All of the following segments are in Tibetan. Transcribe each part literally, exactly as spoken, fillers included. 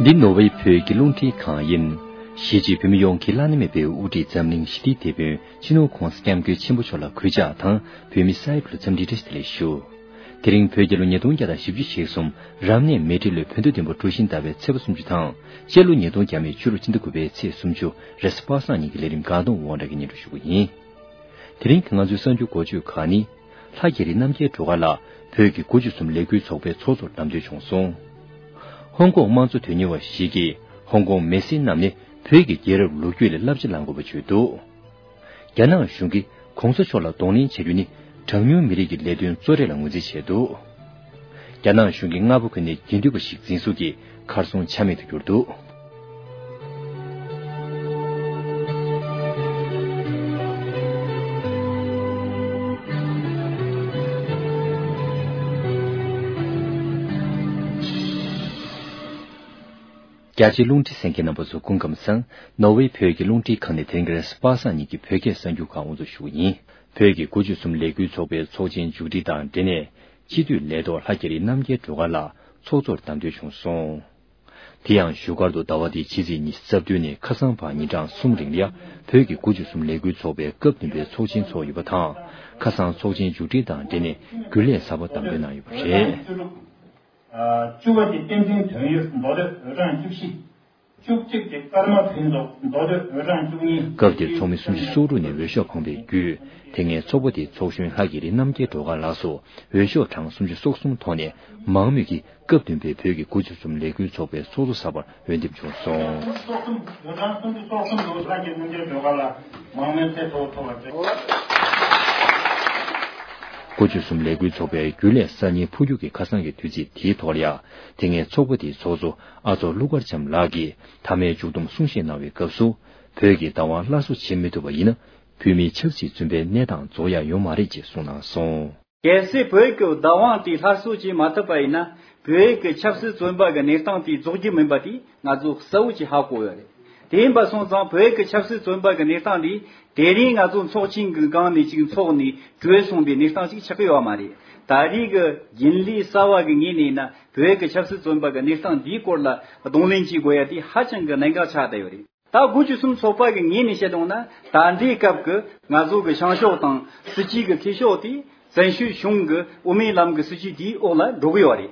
འདི་ནོར་ཝེ་བོད་ཀྱི་རླུང་འཕྲིན་ཁང་ཡིན། གཞིས་བྱེས་བོད་མི་ཡོངས་ཀྱི་བླ་ན་མེད་པའི་དབུ་ཁྲིད་འཛམ་གླིང་ཞི་བདེའི་དེད་དཔོན་སྤྱི་ནོར་༧གོང་ས་༧སྐྱབས་མགོན་ཆེན་པོ་མཆོག་ལ་གུས་ཕྱག་དང་བོད་མི་སའི་བུ་ལ་འཚམས་འདྲི་བཀྲ་ཤིས་བདེ་ལེགས་ཞུ། དེ་རིང་བོད་རྒྱལ་ལོ་ཉིས་སྟོང་བརྒྱ་དང་བཞི་བཅུ་ཞེ་གསུམ་རབ་གནས་མེ་སྤྲེལ་ལོའི་བོད་ཟླ་བདུན་པ་གྲོ་བཞིན་ཟླ་བའི་ཚེས་པ་སུམ་ཅུ་དང་སྤྱི་ལོ་ཉིས་སྟོང་བརྒྱ་མེད་བཅུ་དྲུག་སྤྱི་ཟླ་དགུ་པའི་ཚེས་སུམ་ཅུ་རེས་གཟའ་པ་སངས་ཉིན་གྱི་ལས་རིམ་སྒང་སྟོང་དབང་གྲགས་ཀྱིས་སྙན་སྒྲོན་ཞུ་གི་ཡིན། དེ་རིང་གི་ང་ཚོའི་གསར་འགྱུར་འགོ་བརྗོད་ཁག་ནི། ལྷ་རྒྱ་རི་རྣམ་རྒྱལ་སྒྲོལ་དཀར་ལགས་བོད་ཀྱི་དགུ་བཅུ་གསུམ་ལས་འགུལ་ཚོགས་པའི་ཚོགས་གཙོར་བདམས་ཐོན་བྱུང་སོང་། ཧོང་ཀོང་དམངས་གཙོ་དོན་གཉེར་བ་ཞིག་གིས་ཧོང་ཀོང་མི་སེར་རྣམས་ནས་བོད་ཀྱི་རྒྱལ་རབས་ལོ་རྒྱུས་ལ་བསླབ་བྱ་བླང་དགོས་པ་བརྗོད་འདུག་རྒྱ་ནག་གཞུང་གིས་གོང་ས་མཆོག་ལ་གདོང་ལེན་བྱ་རྒྱུ་ནི་གྲངས་ཉུང་མི་རིགས་ཀྱི་ལས་དོན་གཙོ་གྲས་ལ་ངོས་འཛིན་བྱས་འདུག་རྒྱ་ནག་གཞུང་གིས་སྔ་པོ་ཁ་ནས་དགེ་འདུན་པ་ཞིག་འཛིན་བཟུང་གིས་གར་སོང་ཆ་མེད་དུ་གྱུར་འདུག་རྒྱ་ཆེའི་རླུང་འཕྲིན་གསན་མཁན་རྣམ་པ་ཚོ་སྐུ་ཁམས་བཟང་། ནོར་ཝེ་བོད་ཀྱི་རླུང་འཕྲིན་ཁང་ནས་དེ་རིང་གི་རེས་གཟའ་པ་སངས་ཉིན་གྱི་བོད་སྐད་གསར་འགྱུར་ཁག་དབུ་འཛུགས་ཞུ་གི་ཡིན། བོད་ཀྱི་དགུ་བཅུ་གསུམ་ལས་འགུལ་ཚོགས་པའི་ཚོགས་ཆེན་མཇུག་སྒྲིལ་དང་འབྲེལ་ནས་སྤྱི་འཐུས་ལས་ཐོག་ལྷ་རྒྱ་རི་རྣམ་རྒྱལ་སྒྲོལ་དཀར་ལགས་ཚོགས་གཙོར་བདམས་ཐོན་བྱུང་སོང་། དེ་ཡང་བཞུགས་སྒར་དུ་ཟླ་བ་འདིའི་ཕྱི་ཚེས་ཉི་ཤུ་རྩ་བདུན་ནས་ཁ་སང་བར་ཉིན་གྲངས་གསུམ་རིང་ལ་བོད་ཀྱི་དགུ་བཅུ་གསུམ་ལས་འགུལ་ཚོགས་པའི་སྐབས་བདུན་པའི་ཚོགས་ཆེན་ཚོགས་ཡོད་པ་དང་། ཁ་སང་ཚོགས་ཆེན་མཇུག་སྒྲིལ་དང་འབྲེལ་ནས་རྒྱུན་ལས་གསར་པ་བདམས་ཐོན་གནང་ཡོད་པ་རེད། བཅུ་པ་དེ་བསྟན་འཛིན་དོན་ཡོད་མདོ་སྟོད་འོས་གྲངས་བཅུ་བཞི། བཅུ་གཅིག་དེ་ཀརྨ་ཕུན་ཚོགས་མདོ་སྟོད་འོས་གྲངས་བཅུ་གཉིས། སྐབས་དེར་ཚོགས་མི་སུམ་ཅུ་སོ་དྲུག་ནས་འོས་ཤོག་འཕངས་པའི་བརྒྱུད། དེ་སྔའི་ཚོགས་པ་དེའི་ཚོགས་གཞོན་ལྷ་རྒྱ་རི་རྣམ་རྒྱལ་སྒྲོལ་དཀར་ལགས་སུ་འོས་ཤོག་གྲངས་སུམ་ཅུ་སོ་གསུམ་ཐོག་ནས་མང་མོས་ཀྱིས་སྐབས་བདུན་པའི་བོད་ཀྱི་དགུ་བཅུ་གསུམ་ལས་འགུལ་ཚོགས་པའི་ཚོགས་གཙོ་གསར་པར་འོས་འདེམས་བྱུང་སོང་། སོ་གསུམ་འོས་གྲངས་སུམ་ཅུ་སོ་གསུམ་དུ་ལྷ་རྒྱ་རི་རྣམ་རྒྱལ་སྒྲོལ་དཀར་ལགས་མང་མོས་ཚད་མཐོ་བོ་ཐོབ་པར་མཛད། དགུ་བཅུ་གསུམ་ལས་འགུལ་ཚོགས་པའི་རྒྱུན་ལས་གསར་རྙིང་འཕོ་འགྱུར་གྱི་ཁ་སང་གི་དུས་ཚིགས་དེའི་ཐོག་ལ་ཡང་། དེ་སྔའི་ཚོགས་པ་དེའི་ཚོགས་གཙོ་ཨ་ཚོགས་ཀླུ་མཁར་བྱམས་ལགས་ཀྱིས་མཐའ་མའི་མཇུག་བསྡོམས་གསུང་བཤད་གནང་བའི་སྐབས་སུ། བོད་ཀྱི་བདག་དབང་སླར་གསོ་བྱེད་མི་ཐུབ་པ་ཡིན་ན། བོད་མིའི་ཆབ་སྲིད་བཙོན་པའི་གནས་སྟངས་རྫོགས་ཡག་ཡོད་མ་རེད་ཅེས་གསུངས་གནང་སོང་། གལ་སྲིད་བོད་ཀྱི་བདག་དབང་དེ་སླར་གསོ་བྱེད་མ་ཐུབ་པ་ཡིན་ན། བོད་ཀྱི་ཆབ་སྲིད་བཙོན་པ་གི་གནས་སྟངས་དེ་རྫོགས་རྒྱུ་མིན་པ་དེ་ང་ཚོ་གསལ་བོ་ཅིག་ཧ་གོ་ཡོད་རེད། དེ་ཡིན་པ་སོང་ཙང་བོད་ཀྱི་ཆབ་སྲིད་བཙོན་པ་གི་གནས་སྟངས་དེ་དེ་རིང་ང་ཚོ་ཚོགས་ཆེན་གྱི་སྒང་ནས་ཅིག་འཚོགས་ནས་གྲོལ་སོང་པའི་གནས་སྟངས་ཅིག་ཆགས་ཀྱི་ཡོད་མ་རེད། ད་རེས་ཀྱི་རྒྱུན་ལས་གསར་བ་གི་ངོས་ནས་ཡིན་ན་བོད་ཀྱི་ཆབ་སྲིད་བཙོན་པ་གི་གནས་སྟངས་འདིའི་སྐོར་ལ་གདོང་ལེན་བྱེད་དགོས་ཡ་དེ་ཧ་ཅང་གི་གནད་འགག་ཆགས་བསྡད་ཡོད་རེད། ད་དགུ་བཅུ་གསུམ་ཚོགས་པ་གི་ངོས་ནས་བཤད་ཡོང་ན། ད་ལྟའི་སྐབས་ཀྱི་ང་ཚོ་གི་བྱང་ཕྱོགས་དང་སྲིད་ཇུས་ཀྱི་འཐུས་ཤོར་དེ་བཙན་བྱོལ་གཞུང་གི་དབུ་མའི་ལམ་གྱི་སྲིད་ཇུས་དེའི་འོག་ལ་འགྲོ་གི་ཡོད་རེད།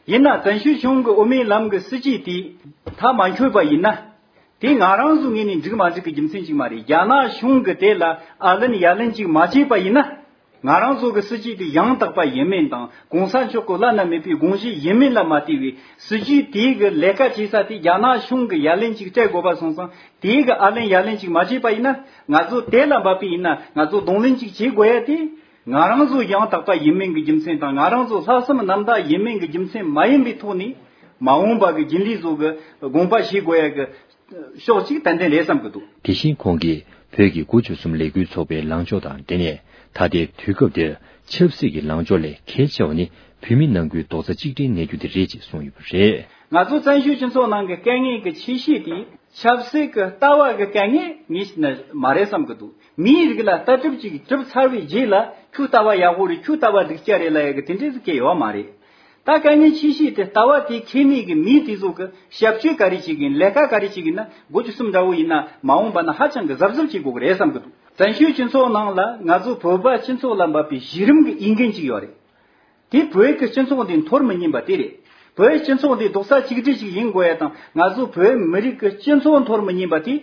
ཡིན་ན་བཙན་བྱོལ་གཞུང་གི་དབུ་མའི་ལམ་གྱི་སྲིད་ཇུས་དེ་མཐའ་མ་འཁྱོལ་བ་ཡིན་ན། དེ་ང་རང་ཚོའི་ངོས་ནས་འགྲིག་མ་འགྲིག་གི་རྒྱུ་མཚན་ཅིག་མ་རེད། རྒྱ་ནག་གཞུང་གིས་དེ་ལ་ཨ་ལན་ཡ་ལན་ཅིག་མ་བྱས་པ་ཡིན་ན། ང་རང་ཚོ་གི་སྲིད་ཇུས་དེ་ཡང་དག་པ་ཡིན་མིན་དང་གོང་ས་མཆོག་གི་བླ་ན་མེད་པའི་དགོངས་གཞི་ཡིན་མིན་ལ་མ་ལྟོས་པའི་སྲིད་ཇུས་དེའི་གི་ལས་ཀ་བྱེད་ས་དེ་རྒྱ་ནག་གཞུང་གི་ཡ་ལན་ཅིག་སྤྲད་དགོས་པ་སོང་ཙང་དེའི་གི་ཨ་ལན་ཡ་ལན་ཅིག་མ་བྱས་པ་ཡིན་ན། ང་ཚོ་དེ་ལ་འབབ་པ་ཡིན་ན་ང་ཚོ་གདོང་ལེན་ཅིག་བྱེད་དགོས་ཡ་དེ། ང་རང་ཚོ་ཡང་དག་པ་ཡིན་མིན་གྱི་རྒྱུ་མཚན་དང་ང་རང་ཚོ་ལྷག་བསམ་རྣམ་དག་ཡིན་མིན་གྱི་རྒྱུ་མཚན་མ་ཡིན་པའི་ཐོག་ནས་མ་འོངས་པ་གི་རྒྱུན་ལས་ཚོ་གི་དགོངས་པ་བཞེས་དགོས་ཡ་གི་ཕྱོགས་གཅིག་ཏན་ཏན་རེད་བསམ་གྱི་འདུག་དེ་བཞིན་ཁོང་གིས་བོད་ཀྱི་དགུ་བཅུ་གསུམ་ལས་འགུལ་ཚོགས་པའི་ལངས་ཕྱོགས་དང་འབྲེལ་ནས། ད་ལྟའི་དུས་སྐབས་འདིར་ཆབ་སྲིད་ཀྱི་ལངས་ཕྱོགས་ལས་གལ་ཆེ་བ་ནི་བོད་མི་ནང་ཁུལ་རྡོག་རྩ་གཅིག་སྒྲིལ་གནས་རྒྱུ་དེ་རེད་ཅེས་གསུངས་ཡོད་པ་རེད། ང་ཚོ་བཙན་བྱོལ་སྤྱི་ཚོགས་ནང་གི་དཀའ་ངལ་གྱི་ཆེ་ཤོས་དེ་ཆབ་སྲིད་ཀྱི་ལྟ་བ་གི་དཀའ་ངལ་ངས་བཤད་ན་མ་རེད་བསམ་གྱི་འདུག་མིའི་རིགས་ལ་ལྟ་གྲུབ་ཅིག་གྲུབ་ཚར་བའི་རྗེས་ལ་ཁྱོད་ལྟ་བ་ཡག་པོ་རེད། ཁྱོད་ལྟ་བ་སྡུག་ཅག་རེད་ལབ་ཡ་གི་དེ་འདྲས་ཟིག་གལ་ཡོད་མ་རེད། ད་དཀའ་ངལ་ཆེ་ཤོས་དེ་ལྟ་བ་དེ་ཁེ་མེད་ཀྱི་མི་དེ་ཚོ་གི་ཞབས་ཕྱི་ག་རེ་བྱེད་གིན་ལས་ཀ་ག་རེ་བྱེད་གིན་ན་དགུ་བཅུ་གསུམ་འདྲ་བོ་ཡིན་ན་མ་འོངས་པ་ན་ཧ་ཅང་གི་གཟབ་གཟབ་བྱེད་དགོས་ཀྱི་རེད་བསམ་གྱི་འདུག་བཙན་བྱོལ་སྤྱི་ཚོགས་ནང་ལ་ང་ཚོ་བོད་པ་སྤྱི་ཚོགས་ལ་འབབ་པའི་གཞི་རིམ་གྱི་འོས་འགན་ཅིག་ཡོད་རེད། དེ་བོད་ཀྱི་སྤྱི་ཚོགས་འདི་འཐོར་མི་ཉན་པ་དེ་རེད། བོད་སྤྱི་ཚོགས་འདི་རྡོག་རྩ་གཅིག་སྒྲིལ་ཞིག་ཡིན་དགོས་ཡ་དང་ང་ཚོ་བོད་མི་རིགས་ཀྱི་སྤྱི་ཚོགས་འཐོར་མི་ཉན་པ་དེ་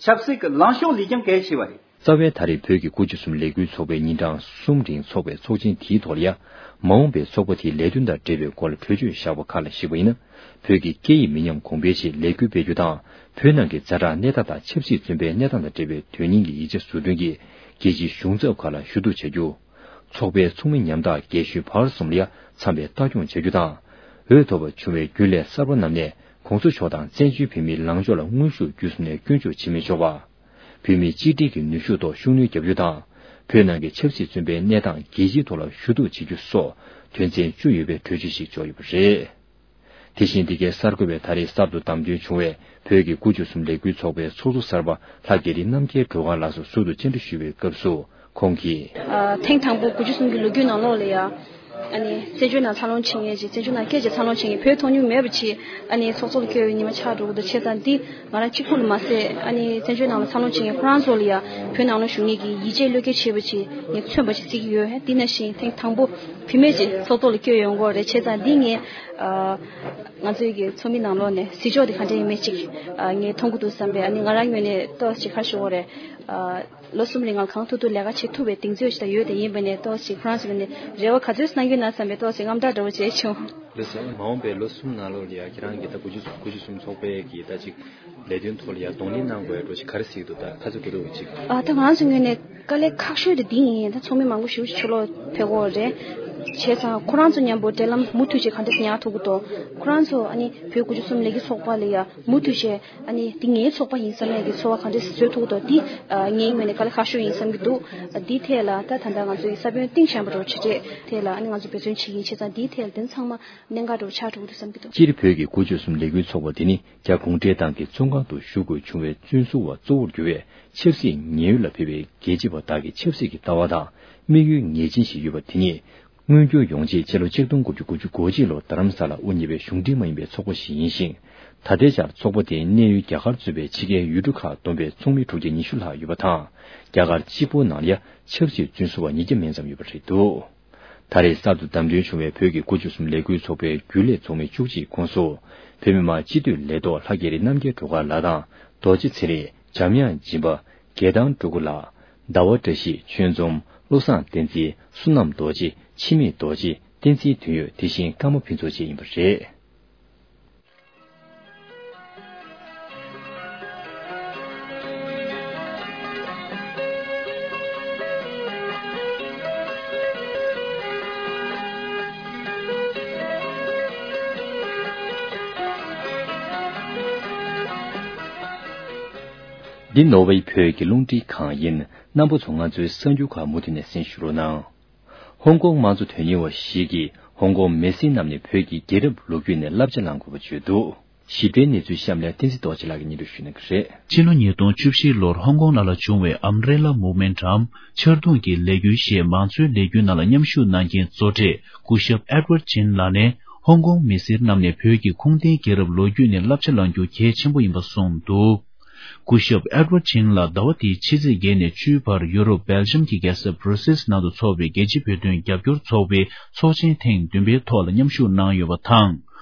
ཆབ་སྲིད་ཀྱི་ལངས་ཕྱོགས་ལས་ཀྱང་གལ་ཆེ་བ་རེད། རྩ་བའི་ད་རེས་བོད་ཀྱི་དགུ་བཅུ་གསུམ་ལས་འགུལ་ཚོགས་པའི་ཉིན་གྲངས་གསུམ་རིང་ཚོགས་པའི་ཚོགས་ཆེན་དེའི་ཐོག་ལ་ཡ། མ་འོངས་པའི་ཚོགས་པ་དེའི་ལས་དོན་དང་འབྲེལ་བའི་སྐོར་ལ་གྲོས་ཆོད་བཞག་པ་ཁག་ལ་གཞིགས་པ་ཡིན་ན། བོད་ཀྱི་སྐད་ཡིག་མི་ཉམས་གོང་འཕེལ་ཆེད་ལས་འགུལ་སྤེལ་རྒྱུ་དང་། བོད་ནང་གི་ཛ་དྲག་གནས་སྟངས་དང་ཆབ་སྲིད་བཙོན་པའི་གནས་སྟངས་དང་འབྲེལ་བའི་དོན་སྙིང་གི་ཡིག་ཆ་བཟོ་སྐྲུན་གྱིས་རྒྱལ་སྤྱིའི་གཞུང་ཚབ་ཁག་ལ་ཞུ་གཏུག་བྱ་རྒྱུ། ཚོགས་པའི་ཚོགས་མི་ཉམ་ཐག་རྒན་གཞོན་བར་གསུམ་ལ་ཡ་འཚམས་པའི་ལྟ་སྐྱོང་བྱ་རྒྱུ་དང་། འོས་ཐོབ་པ་བྱུང་བའི་རྒྱུན་ལས་གསར་པ་རྣམས་ནས་གོང་ས་མཆོག་དང་བཙན་བྱོལ་བོད་མིའི་ལངས་ཕྱོགས་ལ་དངོས་ཤུགས་བརྒྱུད་གསུམ་ནས་སྐྱོན་བརྗོད་བྱེད་མི་ཆོག་པ། བོད་མིའི་གཅིག་སྒྲིལ་གྱི་ནུས་ཤུགས་ཐོག་ཤུགས་སྣོན་བརྒྱབ་རྒྱུ་དང་། བོད་ནང་གི་ཆབ་སྲིད་བཙོན་པའི་གནས་སྟངས་རྒྱལ་སྤྱིའི་ཐོག་ལ་ཞུ་གཏུག་བྱེད་རྒྱུ་སོགས་དོན་ཚན་བཅུ་ཡོད་པའི་གྲོས་ཆོད་ཞིག་འཇོག་ཡོད་པ་རེད། དེ་བཞིན་འདི་གའི་གསར་འགོད་པའི་ད་རེས་གསར་དུ་བདམས་ཐོན་བྱུང་བའི་བོད་ཀྱི་དགུ་བཅུ་གསུམ་ལས་འགུལ་ཚོགས་པའི་ཚོགས་གཙོ་གསར་པ་ལྷ་རྒྱ་རི་རྣམ་རྒྱལ་སྒྲོལ་དཀར་ལགས་སུ་ཟུར་དུ་བཅར་འདྲི་ཞུས་པའི་སྐབས་སུ་ཁོང་གིས། ཨ། ཐེངས་དང་པོ་དགུ་བཅུ་གསུམ་གྱི་ལོ་རྒྱུས་ནང་ལོགས་ལ་ཡ། ཨ་ནི་བཙན་བྱོལ་ནང་འཚར་ལོངས་བྱེད་མཁན་ཅིག་བཙན་བྱོལ་ནང་སྐད་ཆ་འཚར་ལོངས་བྱེད་མཁན་བོད་མཐོང་མྱོང་མེད་པ་ཅིག་ཨ་ནི་ཚོགས་གཙོ་ལ་བསྐོས་པའི་ཉི་མ་ཆགས་འགྲོ་གི་འདུག་བྱས་ཙང་འདི་ང་རང་གཅིག་པུ་ལ་མ་ཟད། ཨ་ནི་བཙན་བྱོལ་ནང་ལ་འཚར་ལོངས་བྱེད་མཁན་ཁོ་རང་ཚོ་ལ་ཡང་བོད་ནང་ལ་བཞུགས་མཁན་གྱི་ཡིད་ཆེས་བློས་འགེལ་བྱས་པ་ཅིག་ངས་མཚོན་པ་ཅིག་བརྩི་གི་ཡོད། དེ་ནང་བཞིན་ཐེངས་དང་པོ་བུད་མེད་ཅིག་ཚོགས་གཙོ་ལ་བསྐོས་ཡོང་གི་རེད། བྱས་ཙང་འདི་ངས་ཨ་ང་ཚོའི་གི་ཚོགས་མི་ནང་ལོགས་ནས་གཟིགས་ཕྱོགས་དེ་ག་འདྲ་ཡིན་མིན་ཅིག་ཨ་ངས་མཐོང་གི་འདུག་བསམ་པས། ཨ་ནི་ང་རང་ངོས་ནས་ཏོག་ཙམ་ཅིག་ཁ་ཤོར་བ་རེད། ཨ་ལོ་གསུམ་རིང་ང་གང་ཐུབ་ཐུབ་ལས་ཀ་བྱེད་ཐུབ་པའི་གདེང་ཚོད་ཅིག་ད་ཡོད། དེ་ཡིན་པ་ནས་ཏོག་ཙམ་ཅིག་ཁོ་རང་ཚོ་ནས་རེ་བ་ག་ཚོད་གནང་གི་ཡོད་ན་བསམ་པའི་ཏོག་ཙམ་ཅིག་དངངས་སྐྲག་འདྲ་བོ་བྱས་བྱུང་། ལགས་སོ། མ་འོངས་པའི་ལོ་གསུམ་ནང་ལོགས་ལ་ཡ་ཁྱེད་རང་གིས་ད་དགུ་བཅུ་དགུ་བཅུ་གསུམ་ཚོགས་པའི་གི་ད་ཅིག་ལས་དོན་ཐོག་ལ་ཡ་གདོང་ལེན་གནང་དགོས་ཡ་འགྲོ་ཞིག་ག་རེ་གཟིགས་འདུག་ད་ཁ་ཚོད་དགོས་འདུག་ཅིག་ཨ་ད་ང་རང་ཚོ་ངོས་ནས་དཀའ་ལས་ཁག་ཤོས་དེ་འདི་ཡིན། ད་ཚོགས་མི་མང་པོ་ཞེ་པོ་ཅིག་ཕྱི་ལོགས་ཕེབས་ཀྱི་ཡོད་རེད། བྱས་ཙང་ཁོ་རང་ཚོ་མཉམ་པོ་འབྲེལ་ལམ་མུ་མཐུད་ཅིག་ག་འདྲ་ཉར་ཐུབ་ཀྱི་འདུག་ཁོ་རང་ཚོ་ཨ་ནི་བོད་དགུ་བཅུ་གསུམ་ལས་འགུལ་ཚོགས་པ་ལ་ཡ་མུ་མཐུད་བྱས། ཨ་ནི་འདི་ངའི་ཚོགས་པ་ཡིན་བསམ་ཡས་ཀྱི་ཚོར་བ་གང་འདྲ་བཟོ་ཐུབ་ཀྱི་འདུག་འདི་ཨ་ངའི་ངོས་ནས་དཀའ་ལས་ཁག་ཤོས་ཡིན་བསམ་གྱི་འདུག་འདི་ཐད་ལ་ད་ད་ལྟ་ང་ཚོ་ཡི་ས་བོན་གཏིང་ཟབ་པ་འདྲ་བོ་ཆེ་གྲས་ཐད་ལ་ཨ་ནི་ང་ཚོ་འབད་བརྩོན་བྱེད་ཀྱི་ཡིན། བྱས་ཙང་འདིའི་ཐད་ལ་དོན་ཚང་མ་གནད་འགག་འདྲ་བོ་ཆགས་འགྲོ་གི་འདུག་བསམ་གྱི་འདུག་སྤྱིར་བོད་ཀྱི་དགུ་བཅུ་གསུམ་ལས་འགུལ་ཚོགས་པ་འདི་ནི་རྒྱ་གུང་ཁྲན་ཏང་གི་བཙོན་ཁང་དུ་བཞུགས་དགོས་བྱུང་བའི་བཙོན་ཟུར་བ་གཙོ་བོར་གྱུར་བའི་ཆབ་སྲིད་ཉེན་གཡོལ་ལ་ཕེབས་པའི་རྒྱལ་གཅེས་པ་དག་གི་ཆབ་སྲིད་ཀྱི་ལྟ་བ་དང་དམིགས་ཡུལ་ངེས་ཅན་ཞིག་ཡོད་པ་དེ་ཉིད། མངོན་འགྱུར་ཡོང་ཆེད་སྤྱི་ལོ་ཆིག་སྟོང་དགུ་བརྒྱ་དགུ་བཅུ་གོ་གཅིག་ལོར་རྡ་རམ་ས་ལར་དབུ་བརྙེས་པའི་གཞུང་འབྲེལ་མ་ཡིན་པའི་ཚོགས་པ་ཞིག་ཡིན་ཞིང་། ད་ལྟའི་ཆར་ཚོགས་པ་དེའི་གནས་ཡུལ་རྒྱ་གར་གཙོས་པའི་ཕྱི་རྒྱལ་ཡུལ་གྲུ་ཁག་བསྡོམས་པའི་ཚོགས་མི་དྲུག་བརྒྱ་ཉི་ཤུ་ལྷག་ཡོད་པ་དང་། རྒྱ་གར་གཅིག་པུའི་ནང་ལ་ཡང་ཆབ་སྲིད་བཙོན་ཟུར་བ་ཉིས་བརྒྱ་མན་ཙམ་ཡོད་པ་རེད་འདུག་ད་རེས་གསར་དུ་བདམས་ཐོན་བྱུང་བའི་བོད་ཀྱི་དགུ་བཅུ་གསུམ་ལས་འགུལ་ཚོགས་པའི་རྒྱུན་ལས་ཚོགས་མི་བཅུ་གཅིག་ཁོངས་སུ། བོད་མི་མང་སྤྱི་འཐུས་ལས་ཐོག་ལྷ་རྒྱལ་རི་རྣམ་རྒྱལ་སྒྲོལ་དཀར་ལགས་དང་། རྡོ་རྗེ་ཚེ་རིང་། འཇམ་དབྱངས་སྦྱིན་པ། དགེ་ཐང་སྤྲུལ་སྐུ་ལགས། ཟླ་བ་བཀྲ་ཤིས། ཆོས་འཛོམས། བློ་བཟང་བསྟན་འཛིན། བསོད་ནམས་རྡོ་རྗེ། འཆི་མེད་རྡོ་རྗེ། བསྟན་འཛིན་དོན་ཡོད། དེ་བཞིན་ཀརྨ་ཕུན་ཚོགས་བཅས་ཡིན་པ་རེད། འདི་ནོར་ཝེ་བོད་ཀྱི་རླུང་འཕྲིན་ཁང་ཡིན། རྣམ་པ་ཚོ་ང་ཚོའི་གསར་འགྱུར་ཁག་མུ་མཐུད་ནས་གསན་ཞུ་རོགས་གནང་། ཧོང་ཀོང་དམངས་གཙོ་དོན་གཉེར་བ་ཞིག་གིས་ཧོང་ཀོང་མི་སེར་རྣམས་ནས་བོད་ཀྱི་རྒྱལ་རབས་ལོ་རྒྱུས་ནས་བསླབ་བྱ་བླང་དགོས་པ་བརྗོད་འདུག་ཞིབ་ཕྲའི་གནས་ཚུལ་གཤམ་ལ་བསྟན་འཛིན་རྡོ་རྗེ་ལགས་ཀྱིས་སྙན་སྒྲོན་ཞུ་གནང་གི་རེད། ཕྱི་ལོ་ཉིས་སྟོང་བཅུ་བཞི་ལོར་ཧོང་ཀོང་ནང་ལ་བྱུང་བའི་Umbrella Movement་འམ་ཆར་གདུང་གི་ལས་འགུལ་ཞེས་མང་གཙོའི་ལས་འགུལ་ནང་ལ་མཉམ་ཞུགས་གནང་མཁན་གཙོ་གྲས་སྐུ་ཞབས་Edward Chin་ལགས་ནས་ཧོང་ཀོང་མི་སེར་རྣམས་ནས་བོད་ཀྱི་ཁུངས་ལྡན་རྒྱལ་རབས་ལོ་རྒྱུས་ནས་བསླབ་བྱ་བླང་རྒྱུ་གལ་ཆེན་པོ་ཡིན་པ་གསུངས་འདུག་སྐུ་ཞབས་Edward Chin་ལགས་ཟླ་བ་འདིའི་ཕྱི་ཚེས་བརྒྱད་ནས་བཅུའི་བར་ཡུ་རོབ་སྦེལ་ཇམ་གྱི་རྒྱལ་ས་Brussels་ནང་དུ་འཚོགས་པའི་རྒྱལ་སྤྱིའི་བོད་དོན་རྒྱབ་སྐྱོར་ཚོགས་པའི་ཚོགས་ཆེན་ཐེངས་བདུན་པའི་ཐོག་ལ་མཉམ་ཞུགས་གནང་ཡོད་པ་དང་།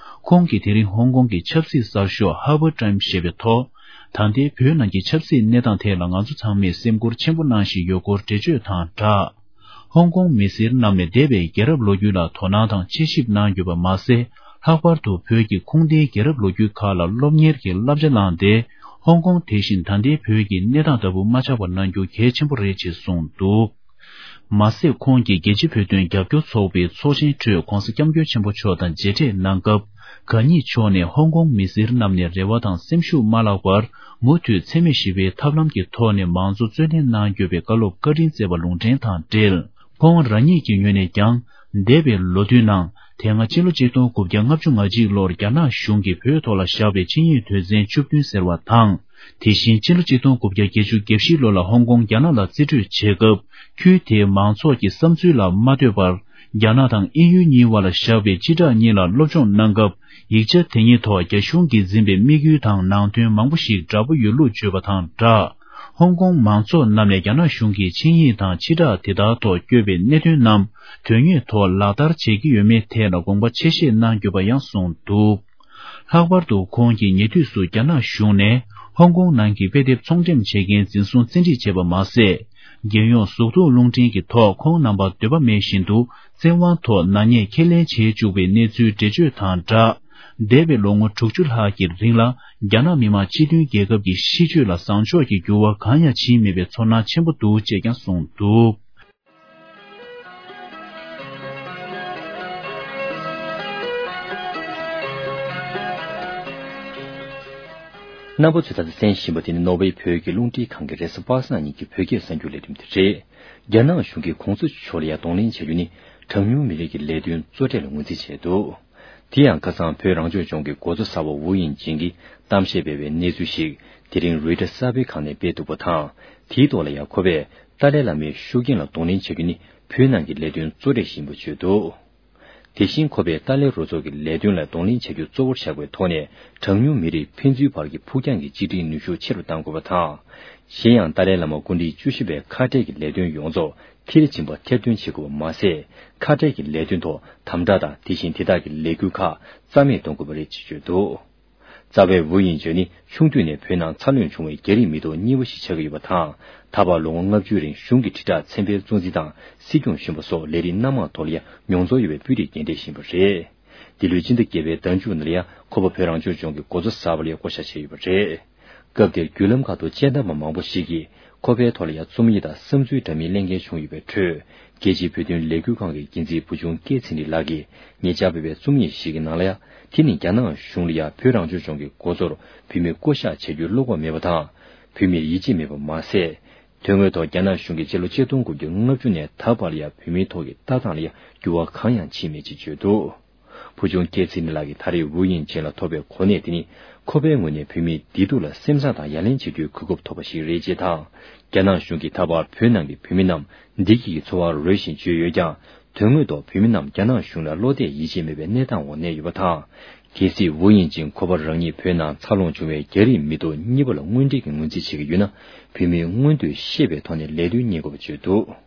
ཁོང་གིས་དེ་རིང་ཧོང་ཀོང་གི་ཆབ་སྲིད་གསར་ཤོག་Harbour Times་ཞེས་པའི་ཐོག་ད་ལྟའི་བོད་ནང་གི་ཆབ་སྲིད་གནས་སྟངས་ཐད་ལ་ང་ཚོ་ཚང་མས་སེམས་ཁུར་ཆེན་པོ་གནང་བཞིན་ཡོད་སྐོར་འགྲེལ་བརྗོད་དང་སྦྲགས། ཧོང་ཀོང་མི་སེར་རྣམས་ནས་འདས་པའི་རྒྱལ་རབས་ལོ་རྒྱུས་ལ་དོ་སྣང་དང་དཔྱད་ཞིབ་གནང་ཡོད་པ་མ་ཟད། ལྷག་པར་དུ་བོད་ཀྱི་ཁུངས་ལྡན་རྒྱལ་རབས་ལོ་རྒྱུས་ཁག་ལ་སློབ་གཉེར་གྱི་བསླབ་བྱ་བླངས་ཏེ། ཧོང་ཀོང་དེ་བཞིན་ད་ལྟའི་བོད་ཀྱི་གནས་སྟངས་ལྟ་བུ་མ་ཆགས་པ་གནང་རྒྱུ་གལ་ཆེན་པོ་རེད་ཅེས་གསུངས་འདུག་མ་ཟད། ཁོང་གིས་རྒྱལ་སྤྱིའི་བོད་དོན་རྒྱབ་སྐྱོར་ཚོགས་པའི་ཚོགས་ཆེན་ཁྲོད་༧གོང་ས་༧སྐྱབས་མགོན་ཆེན་པོ་མཆོག་དང་མཇལ་འཕྲད་གནང་སྐབས། གང་ཉིད་མཆོག་ནས་ཧོང་ཀོང་མི་སེར་རྣམས་ནས་རེ་བ་དང་སེམས་ཤུགས་མ་བརླག་པར། མུ་མཐུད་འཚེ་མེད་ཞི་བའི་ཐབས་ལམ་གྱི་ཐོག་ནས་མང་གཙོ་རྩོད་ལེན་གནང་དགོས་པའི་བཀའ་སློབ་བཀའ་དྲིན་སྩལ་བ་ལུང་འདྲེན་དང་འབྲེལ། ཁོང་རང་ཉིད་ཀྱི་ངོས་ནས་ཀྱང་། འདས་པའི་ལོ་དུས་ནང་། དེ་སྔ་ཕྱི་ལོ་ཆིག་སྟོང་དགུ་བརྒྱ་ལྔ་བཅུ་ང་གཅིག་ལོར་རྒྱ་ནག་གཞུང་གིས་བོད་ཐོག་ལ་བཞག་པའི་ཆིངས་ཡིག་དོན་ཚན་བཅུ་བདུན་ཟེར་བ་དང་། དེ་བཞིན་ཕྱི་ལོ་ཆིག་སྟོང་དགུ་བརྒྱ་བརྒྱད་ཅུ་གྱ་བཞི་ལོ་ལ་ཧོང་ཀོང་རྒྱ་ནག་ལ་རྩིས་སྤྲོད་བྱེད་སྐབས། ཁུལ་དེའི་མང་ཚོགས་ཀྱི་བསམ་ཚུལ་ལ་མ་ལྟོས་པར། རྒྱ་ནག་དང་དབྱིན་ཡུལ་གཉིས་བར་ལ་བཞག་པའི་སྤྱི་བསྒྲགས་གཉིས་ལ་སློབ་སྦྱོང་གནང་སྐབས། ཡིག་ཆ་དེ་གཉིས་ཐོག་རྒྱ་གཞུང་གིས་འཛིན་པའི་དམིགས་ཡུལ་དང་ནང་དོན་མང་པོ་ཞིག་འདྲ་པོ་ཡོད་ལུགས་བརྗོད་པ་དང་སྦྲགས། ཧོང་ཀོང་མང་ཚོགས་རྣམས་ནས་རྒྱ་ནག་གཞུང་གི་ཆིངས་ཡིག་དང་སྤྱི་བསྒྲགས་དེ་དག་ཐོག་བཀོད་པའི་གནད་དོན་རྣམས་དོན་དངོས་ཐོག་ལག་བསྟར་བྱེད་ཀྱི་ཡོད་མེད་ཐད་ལ་དགོངས་པ་ཆེ་བཞེས་གནང་ཡོད་པ་ཡང་གསུངས་འདུག་ལྷག་པར་དུ་ཁོང་གིས་ཉེ་དུས་སུ་རྒྱ་ནག་གཞུང་ནས་ཧོང་ཀོང་ནང་གི་དཔེ་དེབ་ཚོང་འགྲེམས་བྱེད་མཁན་འཛིན་བཟུང་བཙན་ཁྲིད་བྱས་པ་མ་ཟད། རྒྱལ་ཡོངས་གཟུགས་མཐོང་རླུང་འཕྲིན་གྱི་ཐོག་ཁོང་རྣམ་པར་འདོད་པ་མེད་བཞིན་དུ་བཙན་དབང་ཐོག་ནག་ཉེས་ཁས་ལེན་བྱེད་བཅུག་པའི་གནས་ཚུལ་འགྲེལ་བརྗོད་དང་སྦྲགས། འདས་པའི་ལོ་ངོ་དྲུག་ཅུ་ལྷག་གི་རིང་ལ་རྒྱ་ནག་མི་དམངས་སྤྱི་མཐུན་རྒྱལ་ཁབ་ཀྱི་གཤིས་སྤྱོད་ལ་བཟང་ཕྱོགས་ཀྱི་འགྱུར་བ་གང་ཡང་ཕྱིན་མེད་པའི་ཚོར་སྣང་ཆེན་པོ་འདུག་ཅེས་ཀྱང་གསུངས་འདུག་རྣམ་པ་ཚོས་ད་ལྟ་གསན་བཞིན་པ་དེ་ནི་ནོར་ཝེ་བོད་ཀྱི་རླུང་འཕྲིན་ཁང་གི་རེས་གཟའ་པ་སངས་ཉིན་གྱི་བོད་སྐད་གསར་འགྱུར་ལས་རིམ་དེ་རེད། རྒྱ་ནག་གཞུང་གིས་གོང་ས་མཆོག་ལ་ཡ་གདོང་ལེན་བྱ་རྒྱུ་ནི་གྲངས་ཉུང་མི་རིགས་ཀྱི་ལས་དོན་གཙོ་གྲས་ལ་ངོས་འཛིན་བྱས་འདུག་དེ་ཡང་ཁ་སང་བོད་རང་སྐྱོང་ལྗོངས་ཀྱི་འགོ་གཙོ་གསར་པ་ཝུ་དབྱིང་ཅིན་གྱིས་གཏམ་བཤད་སྤེལ་བའི་གནས་ཚུལ་ཞིག་དེ་རིང་རོའི་ཊར་གསར་སྤེལ་ཁང་ནས་སྤེལ་འདུག་པ་དང་། དེའི་ཐོག་ལ་ཡང་ཁོ་པས་ཏཱ་ལའི་བླ་མའི་ཤུགས་རྐྱེན་ལ་གདོང་ལེན་བྱ་རྒྱུ་ནི་བོད་ནང་གི་ལས་དོན་གཙོ་གྲས་ཤིག་ཡིན་པ་བརྗོད་འདུག་དེ་བཞིན་ཁོ་པས་ཏཱ་ལའི་རུ་ཚོགས་ཀྱི་ལས་དོན་ལ་གདོང་ལེན་བྱ་རྒྱུ་གཙོ་བོར་བཞག་པའི་ཐོག་ནས། གྲངས་ཉུང་མི་རིགས་ཕན་ཚུན་བར་གྱི་ཕུགས་རྒྱང་གི་གཅིག་སྒྲིལ་ནུས་ཤུགས་ཆེ་རུ་གཏང་དགོས་པ་དང་། གཞན་ཡང་ཏཱ་ལའི་བླ་མ་སྐུ་ཕྲེང་བཅུ་བཞི་པའི་ཁ་བྲལ་གྱི་ལས་དོན་ཡོངས་རྫོགས་མཐིལ་ཕྱིན་པ་ཐེར་འདོན་བྱེད་དགོས་པ་མ་ཟད། ཁ་བྲལ་གྱི་ལས་དོན་ཐོག་དམ་དྲག་དང་། དེ་བཞིན་དེ་དག་གི་ལས་འགུལ་ཁག་རྩ་མེད་གཏོང་དགོས་པ་རེད་ཅེས་བརྗོད་འདུག། རྩ་བའི་ཝུའུ་དབྱིང་ཅིན་ནི་ཆུང་དུས་ནས་བོད་ནང་འཚར་ལོངས་བྱུང་བའི་རྒྱ་རིགས་མི་ཐོག་གཉིས་པ་ཞིག་ཆགས་ཀྱི་ཡོད་པ་དང་། ད་བར་ལོ་ངོ་ལྔ་བཅུའི་རིང་གཞུང་གི་དྲིལ་བསྒྲགས་ཚན་པའི་གཙོ་འཛིན་དང་། སྲིད་སྐྱོང་གཞོན་པ་སོགས་ལས་རིགས་སྣ་མང་ཐོག་ལ་ཡང་མྱོང་ཚོར་ཡོད་པའི་སྤུས་རིགས་རྒན་གྲས་ཤིག་ཡིན་པ་རེད། འདི་ལོའི་སྤྱི་ཟླ་བརྒྱད་པའི་ཟླ་མཇུག་ནང་ལ་ཡང་ཁོ་པ་བོད་རང་སྐྱོང་ལྗོངས་ཀྱི་འགོ་གཙོ་གསར་པ་ལ་ཡང་བསྐོ་བཞག་བྱས་ཡོད་པ་རེད། སྐབས་དེར་བརྒྱུད་ལམ་ཁག་ཏུ་དཔྱད་གཏམ་པ་མང་པོ་ཞིག་གིས་ཁོ་པའི་ཐོག་ལ་ཡང་རྩོམ་ཡིག་དང་བསམ་ཚུལ་འདྲ་མིན་གླེང་མཁན་བྱུང་ཡོད་པའི་ཁྲོད། རྒྱལ་སྤྱིའི་བོད་དོན་ལས་འགུལ་ཁང་གི་འགན་འཛིན་བུ་ཆུང་སྐལ་ཚེ་རིང་ལགས་ཀྱིས་ཉེ་ཆར་སྤེལ་བའི་རྩོམ་ཡིག་ཞིག་གི་ནང་ལ་ཡང་། དེ་ནི་རྒྱ་ནག་གཞུང་ལ་ཡང་བོད་རང་སྐྱོང་ལྗོངས་ཀྱི་འགོ་གཙོར་བོད་མི་བསྐོ་གཞག་བྱ་རྒྱུའི་བློ་ཁོག་མེད་པ་དང་། བོད་མིར་ཡིད་ཆེས་མེད་པ་མ་ཟད། དོན་དངོས་ཐོག་རྒྱ་ནག་གཞུང་གིས་སྤྱི་ལོ་ཆིག་སྟོང་དགུ་བརྒྱ་ལྔ་བཅུ་ནས་ད་བར་ལ་ཡང་བོད་མིའི་ཐོག་གི་ལྟ་སྟངས་ལ་ཡང་འགྱུར་བ་གང་ཡང་ཕྱིན་མེད་ཅེས་བརྗོད་འདུག། བུ་ཆུང་སྐལ་ཚེ་རིང་ལགས་ཀྱིས་ད་རེས་ཝུའུ་དབྱིང་ཅིན་ལ་ཐོབ་པའི་གོ་གནས་དེ་ནི། ཁོ་པའི་ངོས་ནས་བོད་མིའི་བདེ་སྡུག་ལ་སེམས་བཟང་དང་ཡ་ལན་བྱེད་རྒྱུའི་གོ་སྐབས་ཐོབ་པ་ཞིག་རེད་ཅེས་དང་། རྒྱ་ནག་གཞུང་གིས་ད་བར་བོད་ནང་གི་བོད་མི་རྣམས་བདེ་སྐྱིད་ཀྱི་འཚོ་བ་རོལ་བཞིན་བརྗོད་ཡོད་ཀྱང་། དོན་དངོས་ཐོག་བོད་མི་རྣམས་རྒྱ་ནག་གཞུང་ལ་བློ་གཏད་ཡིད་ཆེས་མེད་པའི་གནས་སྟངས་འོག་གནས་ཡོད་པ་དང་། གལ་སྲིད་ཝུའུ་དབྱིང་ཅིན་ཁོ་པ་རང་ཉིད་བོད་ནང་འཚར་ལོངས་བྱུང་བའི་རྒྱ་རིགས་མི་ཐོག་གཉིས་པ་ལ་དངོས་འབྲེལ་གྱི་ངོས་འཛིན་བྱེད་ཀྱི་ཡོད་ན། བོད་མིས་མངོན་འདོད་ཤེས་པའི་ཐོག་ནས་ལས་དོན་གཉེར་དགོས་པ་བརྗོད་འདུག།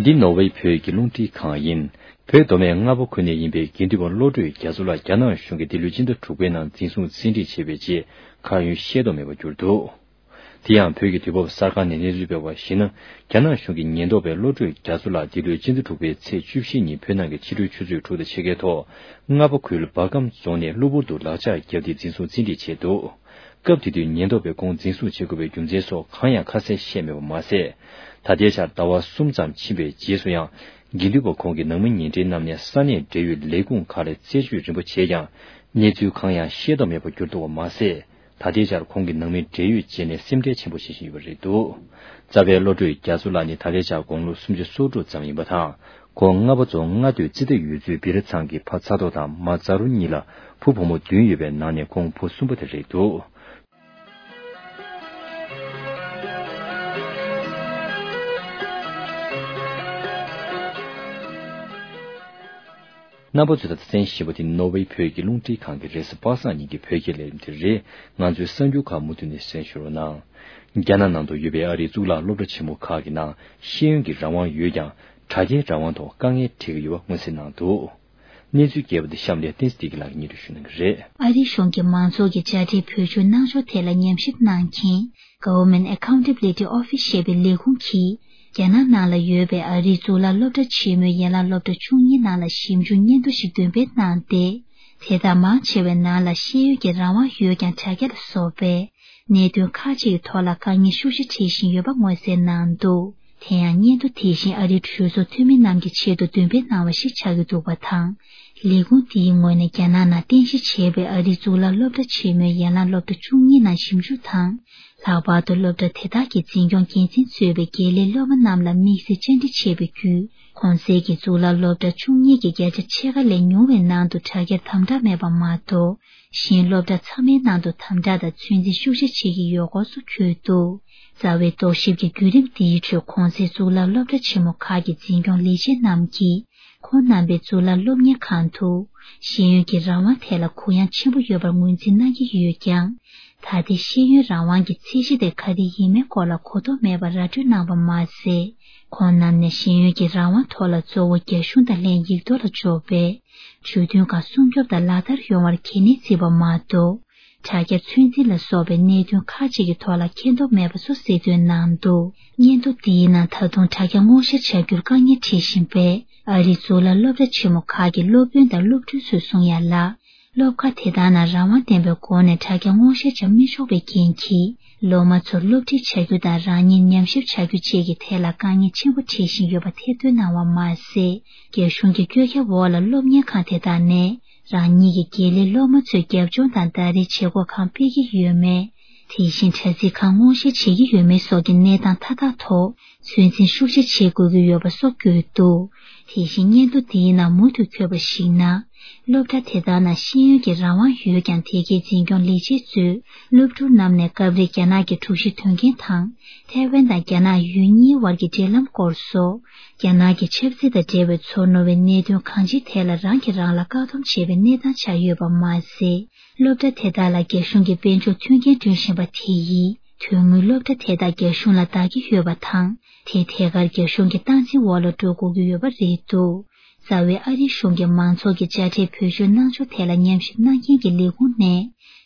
འདི་ནོར་ཝེ་བོད་ཀྱི་རླུང་འཕྲིན་ཁང་ཡིན། བོད་མདོ་སྨད་རྔ་པ་ཁུལ་ནས་ཡིན་པའི་དགེ་འདུན་པ་བློ་གྲོས་རྒྱ་མཚོ་ལགས་རྒྱ་ནག་གཞུང་གིས་འདི་ལོའི་སྤྱི་ཟླ་དྲུག་པའི་ནང་འཛིན་བཟུང་བཙན་ཁྲིད་བྱས་པའི་རྗེས། ཁ་ཡོན་ཤེས་རྟོགས་མེད་པར་གྱུར་འདུག། དེ་ཡང་བོད་ཀྱི་དུས་བབ་གསར་ཁང་ནས་གནས་ཚུལ་སྤེལ་བར་གཞིགས་ན། རྒྱ་ནག་གཞུང་གི་ཉེན་རྟོག་པས་བློ་གྲོས་རྒྱ་མཚོ་ལགས་འདི་ལོའི་སྤྱི་ཟླ་དྲུག་པའི་ཚེས་བཅུ་བཞི་ཉིན་བོད་ནང་གི་ཕྱི་དྲོའི་ཆུ་ཚོད་དྲུག་དང་ཕྱེད་ཀའི་ཐོག་རྔ་པ་ཁུལ་འབར་ཁམས་རྫོང་ནས་གློ་བུར་དུ་ལག་ཆ་བརྒྱབ་སྟེ་འཛིན་བཟུང་བཙན་ཁྲིད་བྱས་འདུག། སྐབས་དེ་དུས་ཉེན་རྟོག་པས་ཁོང་འཛིན་བཟུང་བྱེད་དགོས་པའི་རྒྱུ་མཚན་སོགས་གང་ཡང་ཁ་གསལ་བཤད་མེད་པ་མ་ཟད། ད་ལྟའི་ཆར་ཟླ་བ་གསུམ་ཙམ་ཕྱིན་པའི་རྗེས་སུ་ཡང་། དགེ་འདུན་པ་ཁོང་གི་ནང་མི་ཉེ་འབྲེལ་རྣམས་ནས་ས་གནས་འབྲེལ་ཡོད་ལས་ཁུངས་ཁག་ལ་རྩད་གཅོད་རིམ་པ་བྱས་ཀྱང་། གནས་ཚུལ་གང་ཡང་ཤེས་རྟོགས་མེད་པར་གྱུར་འདུག་པ་མ་ཟད། ད་ལྟའི་ཆར་ཁོང་གི་ནང་མི་འབྲེལ་ཡོད་བཅས་ནས་སེམས་ཁྲལ་ཆེན་པོ་བྱེད་བཞིན་ཡོད་པ་རེད་འདུག། རྩ་བའི་བློ་གྲོས་རྒྱ་མཚོ་ལགས་ནི་ད་ལྟའི་ཆར་དགུང་ལོ་སུམ་ཅུ་སོ་དྲུག་ཙམ་ཡིན་པ་དང་། ཁོང་རྔ་པ་རྫོང་རྔ་སྟོད་རྩི་ཏ་ཡུལ་ཚོའི་བི་ར་ཚང་གི་ཕ་ཚ་རྡོ་དང་མ་ཛ་རུ་གཉིས་ལ་བུ་བུ་མོ་བདུན་ཡོད་པའི་ནང་ནས་ཁོང་བུ་གསུམ་པ་དེ་རེད་འདུག། རྣམ་པ་ཚོས་ད་ལྟ་གསན་བཞིན་པ་དེ་ནོར་ཝེ་བོད་ཀྱི་རླུང་འཕྲིན་ཁང་གི་རེས་གཟའ་པ་སངས་ཉིན་གྱི་བོད་སྐད་ལས་རིམ་དེ་རེད། ང་ཚོའི་གསར་འགྱུར་ཁག་མུ་མཐུད་ནས་གསན་ཞུ་རོགས་གནང་། རྒྱ་ནག་ནང་དུ་ཡོད་པའི་ཨ་རིའི་གཙུག་ལག་སློབ་གྲྭ་ཆེན་མོ་ཁག་གི་ནང་ཤེས་ཡོན་གྱི་རང་དབང་ཡོད་ཀྱང་། དྲ་རྒྱའི་རང་དབང་ཐོག་དཀའ་ངལ་འཕྲད་ཀྱི་ཡོད་པ་མངོན་གསལ་གནང་འདུག། གནས་ཚུལ་རྒྱས་པ་འདི་གཤམ་ལ་བསྟན་འཛིན་བདེ་སྐྱིད་ལགས་ཀྱིས་སྙན་སྒྲོན་ཞུ་གནང་གི་རེད། ཨ་རིའི་གཞུང་གིས་མང་ཚོགས་ཀྱི་དྲ་སྦྲེལ་བེད་སྤྱོད་གནང་ཕྱོགས་ཐད་ལ་ཉམས་ཞིབ་གནང་མཁན། Government Accountability Office ཞེས་པའི་ལས་ཁུངས་ཀྱིས། རྒྱ་ནག་ནང་ལ་ཡོད་པའི་ཨ་རིའི་གཙུག་ལག་སློབ་གྲྭ་ཆེན་མོའི་ཡན་ལག་སློབ་གྲྭ་བཅུ་གཉིས་ནང་ལ་ཞིབ་འཇུག་སྙན་ཐོ་ཞིག་འདོན་སྤེལ་གནང་སྟེ། དེ་དག་མང་ཆེ་བའི་ནང་ལ་ཤེས་ཡོན་གྱི་རང་དབང་ཡོད་ཀྱང་། དྲ་རྒྱ་ལ་སོགས་པའི་གནད་དོན་ཁག་ཅིག་གི་ཐོག་ལ་དཀའ་ངལ་ཤུགས་ཆེ་འཕྲད་བཞིན་ཡོད་པ་མངོན་གསལ་གནང་འདུག། དེ་ཡང་སྙན་ཐོ་དེ་བཞིན་ཨ་རིའི་གྲོས་ཚོགས་འཐུས་མི་རྣམས་ཀྱི་ཆེད་དུ་འདོན་སྤེལ་གནང་བ་ཞིག་ཆགས་ཀྱི་འདུག་པ་དང་། ལས་ཁུངས་དེའི་ངོས་ནས་རྒྱ་ནག་ནང་རྟེན་གཞི་བྱས་པའི་ཨ་རིའི་གཙུག་ལག་སློབ་གྲྭ་ཆེན་མོའི་ཡན་ལག་སློབ་གྲྭ་བཅུ་གཉིས་ནང་ཞིབ་འཇུག་དང་། ལྷག་པར་དུ་སློབ་གྲྭ་དེ་དག་གི་འཛིན་སྐྱོང་འགན་འཛིན་གཙོས་པའི་དགེ་ལས་སློབ་མ་རྣམས་ལ་དམིགས་བསལ་བཅར་འདྲི་བྱས་པའི་བརྒྱུད། གོང་གསལ་གྱི་གཙུག་ལག་སློབ་གྲྭ་བཅུ་གཉིས་ཀྱི་བརྒྱ་ཆ་ཕྱེད་ཀ་ལས་ཉུང་བའི་ནང་དུ་དྲ་རྒྱར་དམ་དྲག་མེད་པ་མ་གཏོགས། གཞན་སློབ་གྲྭ་ཚང་མའི་ནང་དུ་དམ་དྲག་དང་ཚོད་འཛིན་ཤུགས་ཆེ་བྱེད་ཀྱི་ཡོད་སྐོར་སོགས་བཀོད་འདུག། རྩ་བའི་རྟོག་ཞིབ་ཀྱི་བརྒྱུད་རིམ་འདིའི་ཁྲོད། གོང་གསལ་གཙུག་ལག་སློབ་གྲྭ་ཆེན་མོ་ཁག་གི་འཛིན་སྐྱོང་ལས་བྱེད་རྣམས་ཀྱིས། ཁོང་རྣམ་པའི་གཙུག་ལག་སློབ་གཉེར་ཁང་དུ། ཤེས་ཡོན་གྱི་རང་དབང་ཐད་ལ་གུ་ཡངས་ཆེན་པོ་ཡོད་པར་ངོས་འཛིན་གནང་གི་ཡོད་ཀྱང་། ད་ལྟའི་ཤེས་ཡོན་རང་དབང་གི་ཚད་གཞི་དེ་ག་དེ་ཡིན་མིན་སྐོར་ལ་གོ་རྟོགས་མེད་པར་ར་སྤྲོད་གནང་བ་མ་ཟད། ཁོང་རྣམས་ནས་ཤེས་ཡོན་གྱི་རང་དབང་ཐོག་ལ་གཙོ་བོ་རྒྱ་གཞུང་དང་ལྷན་ཡིག་ཐོག་ལ་འཇོག་པའི་ཇུས་འདོན་ཁག་སྲུང་སྐྱོབ་དང་ལག་བསྟར་ཡོང་བར་གལ་གནད་བརྩི་བ་མ་གཏོགས། དྲ་རྒྱ་ཚོད་འཛིན་ལ་སོགས་པའི་གནད་དོན་ཁག་ཅིག་གི་ཐོག་ལ་མཁྱེན་རྟོགས་མེད་པ་སོགས་གསལ་སྟོན་གནང་འདུག། སྙན་ཐོ་འདིའི་ནང་ད་དུང་དྲ་རྒྱ་སྔོག་བཤེར་བྱ་རྒྱུར་དཀའ་ངལ་འཕྲད་བཞིན་པས། ཨ་རིའི་གཙུག་ལག་སློབ་གྲྭ་ཆེན་མོ་ཁག་གི་སློབ་དཔོན་དང་སློབ་ཕྲུག་ཚོས་གསུང་ཡ་ལ། སློབ་ཁག་དེ་དག་ནང་རང་དབང་ལྡན་པའི་སྒོ་ནས་དྲ་རྒྱ་སྔོག་བཤེར་བྱ་མི་ཆོག་པའི་རྐྱེན་གྱིས། སློབ་མ་ཚོར་སློབ་ཁྲིད་བྱ་རྒྱུ་དང་རང་ཉིད་ཉམས་ཞིབ་བྱ་རྒྱུ་བཅས་ཀྱི་ཐད་ལ་དཀའ་ངལ་ཆེན་པོ་འཕྲད་བཞིན་ཡོད་པ་ཐེར་འདོན་གནང་བ་མ་ཟད། རྒྱ་གཞུང་གི་བཀོད་ཁྱབ་འོག་ལ་སློབ་གཉེར་ཁང་དེ་དག་ནས་རང་ཉིད་ཀྱི་དགེ་ལས་སློབ་མ་ཚོའི་རྒྱབ་ལྗོངས་དང་ཟླ་རེའི་བྱེད་སྒོ་གང་སྤེལ་གྱི་ཡོད་མེད། དེ་བཞིན་དྲ་ཚིགས་གང་སྔོག་བཤེར་བྱེད་ཀྱི་ཡོད་མེད་སོགས་ཀྱི་གནས་སྟངས་མཐའ་དག་ཐོག་ཚོད་འཛིན་ཤུགས་ཆེ་བྱེད་དགོས་ཀྱི་ཡོད་པ་སོགས་བཀོད་འདུག། དེ་བཞིན་སྙན་ཐོ་འདིའི་ནང་མུ་མཐུད་འཁོད་པར་གཞིགས་ན། སློབ་གྲྭ་དེ་དག་ནང་ཤེས་ཡོན་གྱི་རང་དབང་ཡོད་ཀྱང་། དེ་གའི་འཛིན་སྐྱོང་ལས་བྱེད་ཚོས་སློབ་ཕྲུག་རྣམས་ནས་སྐབས་རེ་རྒྱ་ནག་གི་དྲུག་བཞི་དོན་རྐྱེན་དང་། ཐའེ་ཝན་དང་རྒྱ་ནག་ཡུལ་གཉིས་བར་གྱི་འབྲེལ་ལམ་སྐོར་སོགས། རྒྱ་ནག་གི་ཆབ་སྲིད་དང་འབྲེལ་བའི་ཚོར་རྣོ་བའི་གནད་དོན་གང་ཅིའི་ཐད་ལ་རང་གིས་རང་ལ་བཀག་སྡོམ་བྱས་པའི་གནས་སྟངས་ཆགས་ཡོད་པ་མ་ཟད། སློབ་གྲྭ་དེ་དག་ལ་རྒྱ་གཞུང་གིས་དཔལ་འབྱོར་མཐུན་རྐྱེན་བསྐྲུན་བཞིན་པ་དེ་ཡིས། དོན་དངོས་སློབ་གྲྭ་དེ་དག་རྒྱ་གཞུང་ལ་བདག་གི་ཡོད་པ་དང་། དེ་ཐད་ཀར་རྒྱ་གཞུང་གི་སྟངས་འཛིན་འོག་ལ་འགྲོ་དགོས་ཀྱི་ཡོད་པ་རེད་འདུག། རྩ་བའི་ཨ་རིའི་གཞུང་གིས་མང་ཚོགས་ཀྱི་དཔྱ་ཁྲལ་བེད་སྤྱོད་གནང་ཕྱོགས་ཐད་ལ་ཉམས་ཞིབ་གནང་མཁན་གྱི་ལས་ཁུངས་ནས།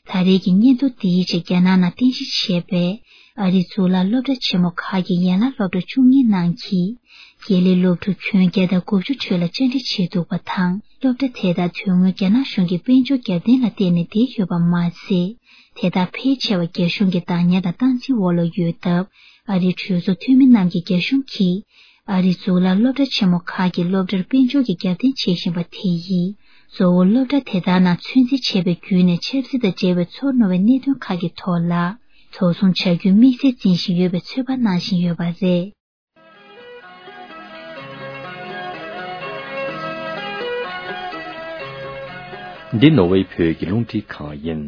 ད་རེས་ཀྱི་སྙན་ཐོ་འདིའི་ཆེད་རྒྱ་ནག་ནང་རྟེན་གཞི་བྱས་པའི་ཨ་རིའི་གཙུག་ལག་སློབ་གྲྭ་ཆེན་མོ་ཁག་གི་ཡན་ལག་སློབ་གྲྭ་བཅུ་གཉིས་ནང་གི་དགེ་ལས་སློབ་ཕྲུག་ཁྱོན་བརྒྱ་དང་དགུ་བཅུ་ཁྲོད་ལ་བཅར་འདྲི་བྱས་འདུག་པ་དང་། སློབ་གྲྭ་དེ་དག་དོན་དངོས་རྒྱ་ནག་གཞུང་གི་དཔལ་འབྱོར་རྒྱབ་རྟེན་ལ་བརྟེན་ནས་བསྡད་ཡོད་པ་མ་ཟད། དེ་དག་ཕལ་ཆེ་བ་རྒྱ་གཞུང་གི་བདག་གཉེར་དང་སྟངས་འཛིན་འོག་ལ་ཡོད་སྟབས། ཨ་རིའི་གྲོས་ཚོགས་འཐུས་མི་རྣམས་ཀྱིས་རྒྱ་གཞུང་གིས་ཨ་རིའི་གཙུག་ལག་སློབ་གྲྭ་ཆེན་མོ་ཁག་གི་སློབ་གྲྭར་དཔལ་འབྱོར་གྱི་རྒྱབ་རྟེན་བྱེད་བཞིན་པ་དེ་ཡིས། གཙོ་བོ་སློབ་གྲྭ་དེ་དག་ནང་ཚོད་འཛིན་བྱས་པའི་བརྒྱུད་ནས་ཆབ་སྲིད་དང་འབྲེལ་བའི་ཚོར་རྣོ་བའི་གནད་དོན་ཁག་གི་ཐོག་ལ་དོགས་ཟོན་བྱ་རྒྱུའི་དམིགས་བསལ་འཛིན་བཞིན་ཡོད་པའི་ཚོད་དཔག་གནང་བཞིན་ཡོད་པ་རེད། འདི་ནོར་ཝེ་བོད་ཀྱི་རླུང་འཕྲིན་ཁང་ཡིན།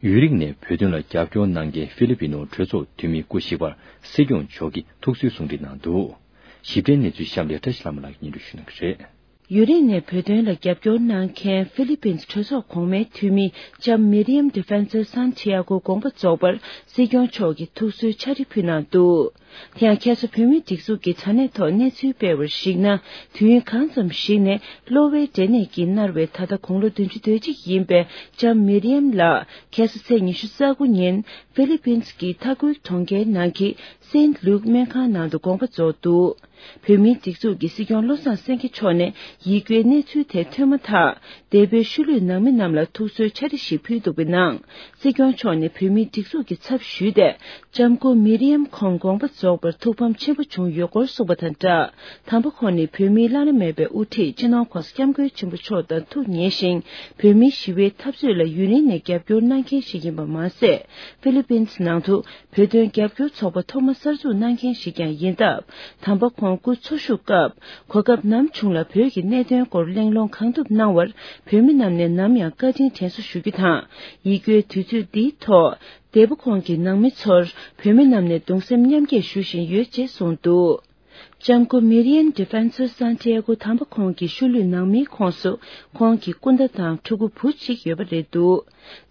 ཡུན་རིང་ནས་བོད་དོན་ལ་རྒྱབ་སྐྱོར་གནང་མཁན་ཧྥི་ལི་པི་ནོ་གྲོས་ཚོགས་འཐུས་མི་སྐུ་གཤེགས་པར་སྲིད་སྐྱོང་མཆོག་གིས་ཐུགས་གསོའི་གསུང་འཕྲིན་གནང་འདུག། ཞིབ་ཕྲའི་གནས་ཚུལ་གཤམ་ལ་བཀྲ་ཤིས་ལྷ་མོ་ལགས་ཀྱིས་སྙན་སྒྲོན་ཞུ་གནང་གི་རེད། ཡུན་རིང་ནས་བོད་དོན་ལ་རྒྱབ་སྐྱོར་གནང་མཁན་ཧྥི་ལི་པིན་གྲོས་ཚོགས་གོང་མའི་འཐུས་མི་ལྕམ་མིར་ཡམ་ཌི་ཕན་སར་སན་ཏི་ཡ་གོ་དགོངས་པ་རྫོགས་པར་སྲིད་སྐྱོང་མཆོག་གིས་ཐུགས་གསོའི་ཕྱག་བྲིས་ཕུལ་གནང་འདུག། དེ་ཡང་ཁ་སང་བོད་མིའི་སྒྲིག་འཛུགས་ཀྱི་དྲ་གནས་ཐོག་གནས་ཚུལ་སྤེལ་བར་གཞིགས་ན། དུས་ཡུན་གང་ཙམ་ཞིག་ནས་གློ་བའི་འབྲས་ནད་ཀྱིས་མནར་བའི་ད་ལྟ་དགུང་ལོ་བདུན་ཅུ་དོན་གཅིག་ཡིན་པའི་ལྕམ་མིར་ཡམ་ལགས་ཁ་སང་ཚེས་ཉི་ཤུ་རྩ་དགུ་ཉིན་ཧྥི་ལི་པིན་གྱི་མཐའ་འཁོར་གྲོང་ཁྱེར་ནང་གི་སེན་ལུག་སྨན་ཁང་ནང་དུ་དགོངས་པ་རྫོགས་འདུག། བོད་མིའི་སྒྲིག་འཛུགས་ཀྱི་སྲིད་སྐྱོང་བློ་བཟང་སེང་གེ་མཆོག་ནས་ཡིག་འགོའི་གནས་ཚུལ་དེ་ཐོན་མ་ཐག་འདས་པོའི་ཤུལ་ལུས་ནང་མི་རྣམས་ལ་ཐུགས་གསོའི་ཕྱག་བྲིས་ཤིག་ཕུལ་འདུག་པའི་ནང་། སྲིད་སྐྱོང་མཆོག་ནས་བོད་མིའི་སྒྲིག་འཛུགས་ཀྱི་ཚབ་ཞུས་ཏེ། ལྕམ་སྐུ་མིར་ཡམ་ཁོང་དགོངས་པ་རྫོགས་པར་ཐུགས་ཕམ་ཆེན་པོ་བྱུང་ཡོད་སྐོར་གསུངས་པ་དང་སྦྲགས། དམ་པ་ཁོང་ནི་བོད་མིའི་བླ་ན་མེད་པའི་དབུ་ཁྲིད་སྤྱི་ནོར་༸གོང་ས་༸སྐྱབས་མགོན་ཆེན་པོ་མཆོག་དང་ཐུགས་མཉེས་ཤིང་། བོད་མིའི་ཞི་བའི་འཐབ་རྩོད་ལ་ཡུན་རིང་ནས་རྒྱབ་སྐྱོར་གནང་མཁན་ཞིག་ཡིན་པ་མ་ཟད། ཧྥི་ལི་པིན་ནང་དུ་བོད་དོན་རྒྱབ་སྐྱོར་ཚོགས་པ་ཐོག་མ་གསར་འཛུགས་གནང་མཁན་ཞིག་ཀྱང་ཡིན་སྟབས། དམ་པ་ཁོང་སྐུ་འཚོ་བཞུགས་སྐབས་གོ་སྐབས་ནམ་བྱུང་ལ་བོད་ཀྱི་གནད་དོན་སྐོར་གླེང་སློང་གང་ཐུབ་གནང་བར་བོད་མི་རྣམས་ནས་ནམ་ཡང་བཀའ་དྲིན་དྲན་གསོ་ཞུ་རྒྱུ་དང་། ཡིད་སྐྱོའི་དུས་ཚོད་འདིའི་ཐོག་འདས་པོ་ཁོང་གི་ནང་མི་ཚོར་བོད་མི་རྣམས་ནས་གདུང་སེམས་མཉམ་སྐྱེད་ཞུ་བཞིན་ཡོད་ཅེས་གསུངས་འདུག། ལྕམ་སྐུ་མིར་ཡན་ཌི་ཕན་སར་སན་ཏི་ཡ་གོ་དམ་པ་ཁོང་གི་ཤུལ་ལུས་ནང་མིའི་ཁོངས་སུ་ཁོང་གི་སྐུ་ཟླ་དང་ཕྲུ་གུ་བུ་གཅིག་ཡོད་པ་རེད་འདུག།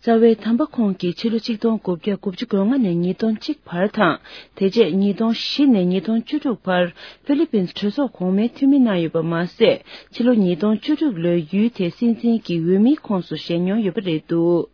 རྩ་བའི་དམ་པ་ཁོང་གིས་ཕྱི་ལོ་ཆིག་སྟོང་དགུ་བརྒྱ་དགུ་བཅུ་གོ་ལྔ་ནས་ཉིས་སྟོང་གཅིག་བར་དང་། དེ་རྗེས་ཉིས་སྟོང་བཞི་ནས་ཉིས་སྟོང་བཅུ་དྲུག་བར་ཧྥི་ལི་པིན་གྲོས་ཚོགས་གོང་མའི་འཐུས་མི་གནང་ཡོད་པ་མ་ཟད། ཕྱི་ལོ་ཉིས་སྟོང་བཅུ་དྲུག་ལོའི་ཡུལ་དེའི་སྲིད་འཛིན་གྱི་འོས་མིའི་ཁོངས་སུ་བཞེས་མྱོང་ཡོད་པ་རེད་འདུག།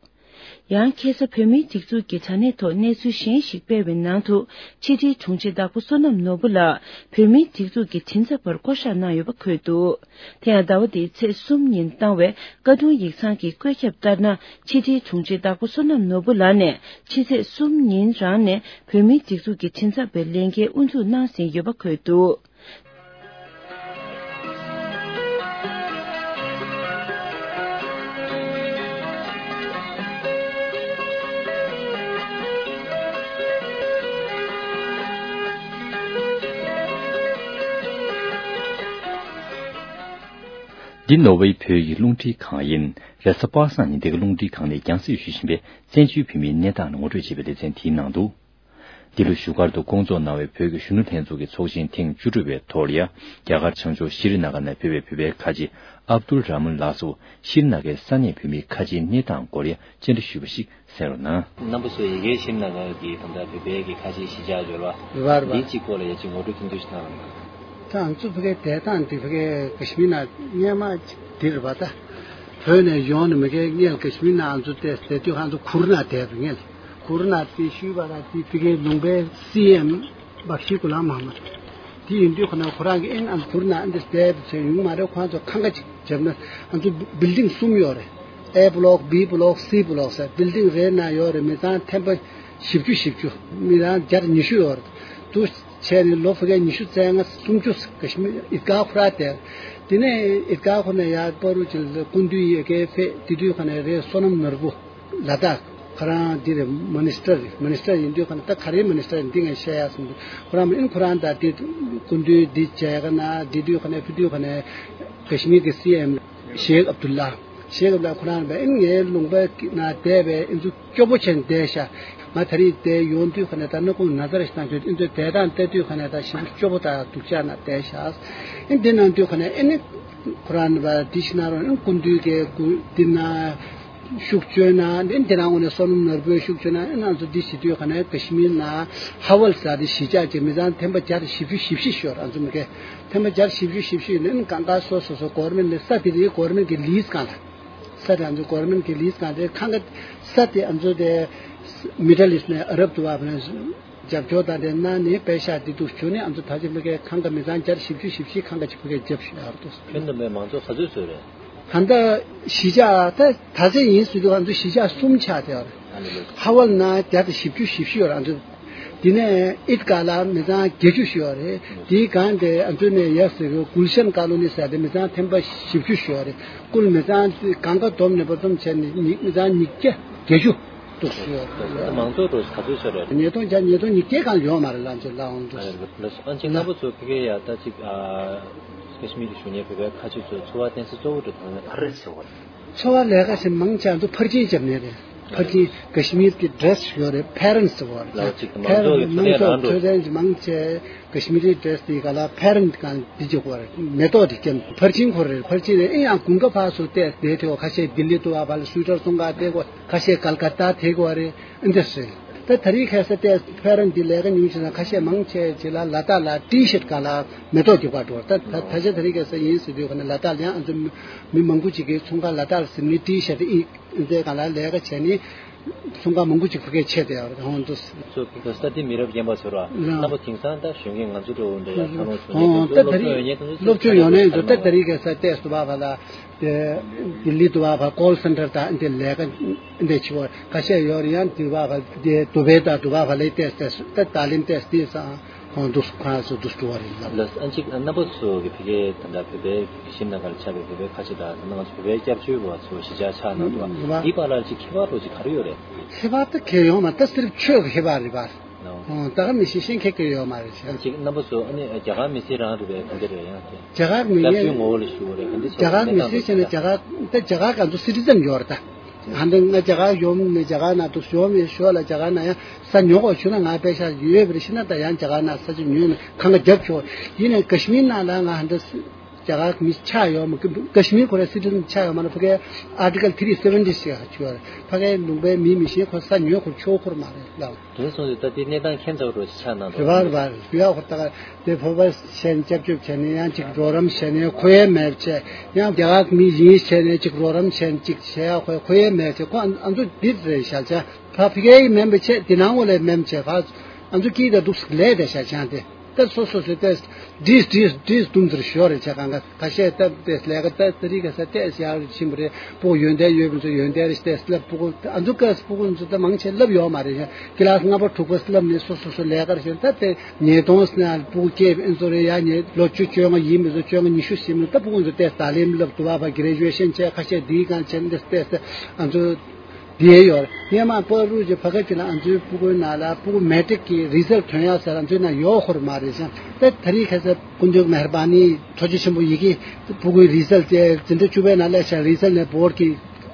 ཡང་ཁ་སང་བོད་མིའི་སྒྲིག་འཛུགས་ཀྱི་དྲ་གནས་ཐོག་གནས་ཚུལ་གཞན་ཞིག་སྤེལ་བའི་ནང་དུ། ཕྱི་དྲིལ་དྲུང་ཆེ་བདག་པོ་བསོད་ནམས་ནོར་བུ་ལགས་བོད་མིའི་སྒྲིག་འཛུགས་ཀྱི་མགྲིན་ཚབ་པར་བསྐོ་གཞག་གནང་ཡོད་པ་འཁོད་འདུག། དེ་ཡང་ཟླ་བ་འདིའི་ཚེས་གསུམ་ཉིན་བཏང་བའི་བཀའ་དྲུང་ཡིག་ཚང་གི་བཀོད་ཁྱབ་ལྟར་ན། ཕྱི་དྲིལ་དྲུང་ཆེ་བདག་པོ་བསོད་ནམས་ནོར་བུ་ལགས་ནས་ཕྱི་ཚེས་གསུམ་ཉིན་རང་ནས་བོད་མིའི་སྒྲིག་འཛུགས་ཀྱི་མགྲིན་ཚབ་པའི་ལས་འགན་དབུ་འཛུགས་གནང་ཟིན་ཡོད་པ་འཁོད་འདུག། འདི་ནོར་ཝེ་བོད་ཀྱི་རླུང་འཕྲིན་ཁང་ཡིན། རེས་གཟའ་པ་སངས་ཉིན་འདི་ག་རླུང་འཕྲིན་ཁང་ནས་རྒྱང་སྲིང་ཞུ་བཞིན་པའི་བཙན་བྱོལ་བོད་མིའི་གནས་སྟངས་ལ་ངོ་སྤྲོད་བྱེད་པའི་ལེ་ཚན་དེའི་ནང་དུ། འདི་ལོ་བཞུགས་སྒར་དུ་བསྐོང་ཚོགས་གནང་བའི་བོད་ཀྱི་གཞོན་ནུ་ལྷན་ཚོགས་ཀྱི་ཚོགས་ཆེན་ཐེངས་བཅུ་དྲུག་པའི་ཐོག་ལ་ཡ། རྒྱ་གར་བྱང་ཕྱོགས་ཤི་རི་ན་གར་ནས་ཕེབས་པའི་བོད་པའི་ཁ་ཆེ་ཨབ་དུལ་ར་མུན་ལགས་སུ་ཤི་རི་ན་གར་ས་གནས་བོད་མིའི་ཁ་ཆེའི་གནས་སྟངས་སྐོར་ཡ་བཅར་འདྲི་ཞུས་པ་ཞིག་གསན་རོགས་གནང་། རྣམ་པ་ཚོས་ཡ་གིའི་ཤི་རི་ན་གར་གྱི་ད་ལྟ་བོད་པའི་གི་ཁ་ཆེའི་གཞིས་ཆགས་འབྱོར་བ་རེད་པ། འདིའི་གཅིག་སྐོར་ལ་ཡ་གཅིག་ངོ་སྤྲོད་ཐུང་ཐུང་ཞིག་གནང་རོགས་གནང་། ད་ང་ཚོ་ཕ་གིའི་བསྡད་སྟངས་འདི་ཕ་གིའི་ཀ་ཤི་མིར་ནང་སྔོན་མ་འདི་རེད་པ། ད་བོད་ནས་ཡོང་ནས་མ་གིའི་སྔོན་ཀ་ཤི་མིར་ནང་ང་ཚོ་བསྡད་བསྡད་དུས་ང་ཚོ་གུར་ནང་བསྡད་པ་སྔོན། གུར་ནང་དེ་ཞུས་པ་ལ་དེ་ཕ་གིའི་ལུང་པའི་སི་ཨེམ་བག་ཤི་གུ་ལ་མ་མ་དེ་ཡིན་དུས་ཁོ་ན་ཁོ་རང་གི་ཨེན་ཨ་གུར་ནང་འདི་བསྡད་པ་ཚོ་ཡོང་མ་རེད། ཁོ་ཚོ་ཁང་ཁ་ཅིག་བརྒྱབ་ན་ང་ཚོ་བིལ་ཌིང་གསུམ་ཡོད་རེད། ཨེ་བྷི་ལོག་བི་བྷི་ལོག་སི་བྷི་ལོག་ཟེར་བིལ་ཌིང་རེ་ནང་ཡོད་རེད། མི་ཚང་ཐེམ་པ་བཞི་བཅུ་བཞི་བཅུ་མི་ཚང་བརྒྱ་ཉི་ཤུ་ཡོད་རེད། དུ་བྱས་ནས་ལོ་ཕ་གིའི་ཉི་ཤུ་རྩ་ལྔ་སུམ་ཅུ་ཀ་ཤི་མིར་ཨིད་གྷ་ཁུ་ར་དེ། དེ་ནས་ཨིད་གྷ་ཁུ་ནས་ཡར་པ་རུ་ཅིག་ལ་སྐུ་མདུན་ཡ་གིའི་ཕེབས། དེ་དུས་ཁ་ནས་རེད་བསོད་ནམས་ནོར་བུ་ལ་དྭགས་ཁོ་རང་འདི་རེད། མི་ནི་སི་ཊར་རེད། མི་ནི་སི་ཊར་ཡིན་དུས་ཁ་ནས་ད་ག་རེའི་མི་ནི་སི་ཊར་ཡིན་འདི་ངས་བཤད་ཡག་སོང་དུས་ཁོ་རང་མི་ཨིན་ཁོ་རང་ད་དེ་སྐུ་མདུན་འདི་མཇལ་ཁ་ན་དེ་དུས་ཁ་ནས་ཕེབས་དུས་ཁ་ནས་ཀ་ཤི་མིར་གི་སི་ཨེམ་ཤེག་ཨབ་དུ་ལ། ཞེས་སྐབས་ལ་ཁོ་རང་ལ་ཨིན་ངའི་ལུང་པའི་ནང་བསྡད་པའི་ཨིན་ཚུ་སྐྱོ་པོ་བྱས་ནས་བསྡད་ཤག་ང་ད་རེས་བསྡད་ཡོང་དུས་ཁ་ནས་ད་སྣ་ཁུང་ན་ཚ་རེ་ཞིག་བཏང་བྱུང་ཨིན་ཚུ་བསྡད་སྟངས་བལྟ་དུས་ཁ་ནས་ད་ཞེ་པོ་སྐྱོ་པོ་དང་སྡུག་ཅག་ན་བསྡད་ཤག་ཨིན་འདི་ནང་དུས་ཁ་ནས་ཨིན་ཁོ་རང་ལ་འདི་ཞིག་ན་རོགས་ཨིན་སྐུ་མདུན་གྱི་སྐུ་འདི་ན། ཤུགས་བཅོས་ན་འདི་འདི་རང་ངོས་ནས་བསོད་ནམས་ནོར་བུའི་ཤུགས་བཅོས་ན་ཨེ་ང་ཚོ་འདི་བྱེད་དུས་ག་ནས་ཀ་ཤི་མིར་ན་ཧ་ཝལ་ཟེར་དེ་གཞིས་ཆགས་ཀྱི་མི་ཚང་ཐེམ་པ་བརྒྱ་དང་བཞི་བཅུ་ཞེ་བཞི་ཤོར་ཨ་ཚོ་མི་ཁེ་ཐེམ་པ་བརྒྱ་དང་བཞི་བཅུ་ཞེ་བཞི་ནི་གང་ག་སོ་སོ་སོ་གོར་མེན་ལ་ས་དེ་རིགས་གོར་མེན་གྱི་ལིས་གང་ལ་ས་དེ་ཨ་ཚོ་གོར་མེན་གྱི་ལིས་གང་དེ་གང་ག་ས་དེ་ཨ་ཚོ་དེ་མི་ཌལ་ཨིསཊ་ནས་ཨ་རབ་ཏུ་བ་ཕ་ན། རྒྱབ་སྐྱོར་དང་དེ་གནང་ནས་པེ་ཤག་འདི་འདུག་བྱུང་ནས་ཨ་ཚོ་ད་ཅི་མི་ཁའི་ཁང་ག་མི་ཚང་བརྒྱ་བཞི་བཅུ་ཞེ་བཞི་ཁང་ག་ཅིག་མི་ཁའི་རྒྱབ་ཤོག་ཡར་འདུག་ཁྱོན་བསྡོམས་པའི་མང་ཚོགས་ག་ཚོད་ཚོད་རེད། ད་ལྟ་གཞིས་ཆགས་ད་ད་ཚེ་ཡིན་ཟེར་དུས་ཨ་ཚོ་གཞིས་ཆགས་གསུམ་ཆགས་ཏེ་ཡོད་རེད། ཨ་ནི་ལོ། ཧ་ཝལ་ན་བརྒྱ་དང་བཞི་བཅུ་ཞེ་བཞི་ཡོད་རེད་ཨ་ཚོ། དེ་ནས་ཨིད་ཀ་ལ་མི་ཚང་བརྒྱད་ཅུ་ཞིག་ཡོད་རེད། དེའི་སྒང་དེ་ཨ་ཚོ་ནས་ཡར་ཟེར་གི་གུལ་ཤན་ཀ་ལོ་ནི་ཟེར་དེ་མི་ཚང་ཐེམ་པ་བཞི་བཅུ་ཞིག་ཡོད་རེད། ཀུལ་མི་ཚང་གང་ག་བསྡོམས་ནས་བར་འཛོམས་བྱས་ནས་མི་ཚང་ཉིས་བརྒྱ་བརྒྱད་ཅུ། འདུག་སེ་ཡོད་རེད། མང་ཚོགས་འགྲོ་ག་ཚོད་ཆགས་རེད། ཉིས་སྟོང་བརྒྱ་ཉིས་སྟོང་ཉིས་བརྒྱ་གང་ཡོད་མ་རེད་ལབ་ཅིག་ལབ་འོང་འདུག་ཨ་རེད། ཨ་ཅིག་རྣམ་པ་ཚོ་ཕ་གིར་ཡ་ད་ཅིག་ཨ་ཀ་ཤི་མིར་གཞོན་སྐྱེས་བོད་པའི་ཁ་ཆེ་ཚོའི་འཚོ་བ་བརྟེན་ས་གཙོ་བོ་དེ་གང་ལ་ག་རེ་ཟེར་བ་རེད། འཚོ་བ་ལས་ཀ་ཞིག་མང་ཆེ་འདུག་ཕར་ཕྱིན་བརྒྱབ་ནས་རེད། ཕར་ཕྱིན་ཀ་ཤི་མིར་གྱི་ཌེ་རེ་སི་ཡོད་རེད། ཕེ་རེན་སི་ཟེར་བ་རེད། ལགས་ཅིག་མང་ཚོགས་ཀྱི་ཕེ་རེན་སི་མང་ཚོགས་འཕྲོད་བསྟེན་རང་འཕྲོད་བསྟེན་ཞིག་མང་ཆེ། ཀ་ཤི་མི་རི་ཌེ་རེ་སི་དེའི་སྒང་ལ་ཕེ་རེན་སི་གང་འདི་བྱེད་དགོས་རེད། མེ་ཏོག་དེ་སྐྱེམས་ཕར་ཕྱིན་ཁོ་རེད། ཕར་ཕྱིན་རེད། ཨེ་ཡང་དགུན་ཁ་ཕར་ཚུར་བལྟས་བསྡད་ཐེ་བ་ཁ་ཤས་ལྡི་ལི་དུ་བ་བ་ལ་སུ་ཊར་བཙོང་ག་བསྡད་དགོས། ཁ་ཤས་ཀལ་ཀ་ཏ་བསྡད་དགོས་རེད། ཨེ་འདྲ་ཟེར། ད་ད་རེས་ཁ་སང་བལྟས་ཕེ་རེན་སི་འདི་ལས་ཀ་ཉུང་ཆེ་ན་ཁ་ཤས་མང་ཆེ་ཆེ་ལ་ལ་དྭགས་ལ་ཊི་ཤར་སྒང་ལ་མེ་ཏོག་རྒྱབ་ག་འགྲོ་བ། ད་ད་ད་ཆ་ད་རེས་ཁ་སང་ཡིན་ཟེར་དུས་ག་ནས་ལ་དྭགས་ལ་ཡང་ཨ་ཚོ་མི་མང་པོ་ཅིག་གིས་ཚོང་ཁང་ལ་དྭགས་ལ་ཟིན་ནི་ཊི་ཤར་ཨི། འདི་ག་ལ་ལས་ཀ་བྱས་ནས་གསུང་ཁ་མང་པོ་ཅིག་ཕ་གིར་ཆད་དེ་ཡོད་རེད་ཧོང་འདུག་ཚོ་གི་ས་དེ་མི་རབས་རྒན་པ་ཚོ་ར་རྣམ་པ་དེང་སང་ད་གཞོན་སྐྱེས་ང་ཚོ་འདྲ་བོ་འདྲ་ཡ་ཐང་ལོ་གཞོན་སྐྱེས་ཧོང་ད་ད་དེ་ཚོ་སློབ་སློབ་སྦྱོང་ཡོང་ནས་འདུག་ད་ད་རེས་ཀྱི་ས་ཏེས་དུ་བ་བ་ལ་དེ་ལྡི་ལི་དུ་བ་བ་ཀོལ་སེན་ཊར་དང་འདི་ལས་ཀ་འདི་བྱེད་པ་ཁ་ཤས་ཡོད་རེད། ཡང་དུ་བ་བ་དེ་དུ་བེ་ད་དུ་བ་བ་ལས་ཏེས་ཏེས་ད་ད་ལིམ་ཏེས་ཏེས་སང་། ཁོང་འདུག་ཁོང་ཚོ་འདུག་འགྲོ་བ་རེད་ལབ། ལགས་ཨ་ཅིག་རྣམ་པ་ཚོ་གི་ཕ་གིའི་ད་ལྟ་བོད་པའི་གཞིས་ནང་གར་ཆགས་པའི་བོད་པའི་ཁ་ཆེ་དང་ད་ལྟ་ང་ཚོ་བོད་པའི་སྐྱབས་བཅོལ་བ་ཚོ་གཞིས་ཆགས་ཆགས་གནང་འདུག་བ། འདི་བར་ལ་ཅིག་ཁྱད་པར་རོ་ཅིག་ག་རེ་ཡོད་རེད། ཁྱད་པར་ད་གང་ཡོད་མ་རེད། ད་སིར་ཕ་ཆོས་ཀྱི་ཁྱད་པར་རེད་པ། ལགས་ད་ག་མི་ཤེས་ཤེས་མཁན་གྱི་ཡོད་མ་རེད། ཨ་ཅིག་རྣམ་པ་ཚོ་ཨ་ནི་རྒྱ་གར་མི་སེར་རང་རེད་པས་ག་འདྲ་རེད་ཡང་དེ། རྒྱ་གར་མི་སྐྱབས་བཅོལ་ངོ་བོ་ལ་ཞུ་བ་རེད་ག་འདྲ་ཞིག་རྒྱ་གར་མི་སེར་བྱས་ན་རྒྱ་གར་ད་རྒྱ་གར་ག་ཚོ་སི་ཊི་ཛན་ཡོད་རེད་ད། ད་ལྟ་ང་རྒྱ་གར་ཡོང་ནས་རྒྱ་གར་ནང་དུ་ཡོང་མི་ཤོག་ལ་རྒྱ་གར་ནང་ཡང་ས་ཉོ་དགོས་བྱུང་ན་ང་པེ་ཤག་ཡོད་པ་རེད་ཤི་ན་ད་ཡང་རྒྱ་གར་ནང་ས་ཆ་ཉོས་ནས་གང་ག་རྒྱབ་ཆོག་ཡིན་ནའི་ཀ་ཤི་མིར་ནང་ལ་ང་ཧ་འདྲ་རྒྱ་གར་མི་ཆགས་ཡོད་མ་ཀ་ཤི་མིར་ཁོ་ར་སི་ཊི་ཛན་ཆགས་ཡོད་མ་རེད། ཕ་གའི་ཨར་ཊི་ཀལ་ཐི་རི་སེ་ཝེན་ཊི་ཞེས་ཆུ་བ་རེད། ཕ་གའི་ལུང་པའི་མི་མི་ཤེས་ཁོ་ས་ཉོ་ཁོ་ཆོག་ཁོར་མ་རེད་ལགས། དེ་སོང་ཙང་ད་དེ་གནས་སྟངས་ཁྱད་མཚར་རོ་ཆགས་གནང་འདུག་རེད་བ་རེད་བ་རེད་ཡ་ཁོ་ད་ག་དེ་བོད་པ་བྱས་ནས་སྐྱབས་བཅོལ་བྱས་ནས་ཡང་ཅིག་རོགས་རམ་བྱས་ནས་ཁོ་ཡས་མེད་བྱས་ཡང་རྒྱ་གར་མི་ཡིན་བྱས་ནས་ཅིག་རོགས་རམ་བྱས་ནས་ཅིག་བྱས་ཡ་ཁོ་ཁོ་ཡས་མེད་བྱས་ཁོ་ཨ་ཨ་ཚོ་འདི་རེད་ཤག་ཅག་ཕ་ཕི་ཁའི་མེན་པ་བྱས་འདི་ནང་ངོ་ལས་མེན་བྱས་ཕ་ཨ་ཚོ་སྐྱིད་ད་འདུག་ལས་དེ་ཤག་ཅང་དེ་ད་སོ་སོ་སོ་ཏེས་འདྲིས་འདྲིས་འདྲིས་དུམ་ཚུར་ཤོར་རེད་ཆ་གང་ག་ཁ་ཤས་སྟབས་ཏེས་ལས་ཀ་ད་ད་རིག་ག་ས་ཏེས་ཡར་ཕྱིན་པ་རེད། སྤུ་གུ་ཡོན་ཏན་ཡོད་པ་ཚོ་ཡོན་ཏན་རེད་ཏེས་སླབ་སྤུ་གུ་ཨ་ཚོ་ཀ་སྤུ་གུ་ཚོ་ད་མང་ཆེ་སླབ་ཡོད་མ་རེད་ཤག་ཀི་ལ་སི་ལྔ་པ་དྲུག་པ་སླབ་ནས་སོ་སོ་སོ་ལས་ཀར་ཤོར་ད་ཏེ་ཉིས་སྟོང་ཟེར་ན་སྤུ་གུ་སྐྱེས་པའི་ཨེ་ཚོ་རེད་ཡ་ཉེ་ལོ་བཅུ་བཅོ་ལྔ་ཡིན་མི་ཚོ་བཅོ་ལྔ་ཉི་ཤུ་ཟིན་མི་ད་སྤུ་གུ་ཚོ་ཏེ་ད་ལེན་སླབ་དུ་བ་བ་གི་རེ་ཇུ་ཨེ་ཤན་བྱས་ཁ་ཤས་འདིའི་སྒང་བྱས་འདི་ཏེ་ཨ་ཚོ་དེ་ཡོད་རེད། སྔས་མ་པ་རུ་ཅི་ཕ་ཁ་ཅི་ལ་ཨ་ཚོའི་སྤུ་གུའི་ནང་ལ་སྤུ་གུ་མེ་ཊིག་གི་རི་ཛལ་ཐོན་ཡག་ཟེར་ཨ་ཚོའི་ནང་ཡོད་ཁོར་མ་རེད་ཤག་ད་ད་རིང་ཁ་སང་སྐུ་མདུན་མེ་ཧར་པ་ནི་ཐུགས་རྗེ་ཆེན་པོ་ཡི་གེ་སྤུ་གུའི་རི་ཛལ་དེ་འཛིན་གྲྭ་བཅུ་པའི་ནང་སླེབས་ཤག་རི་ཛལ་ནས་བོར་གྱི་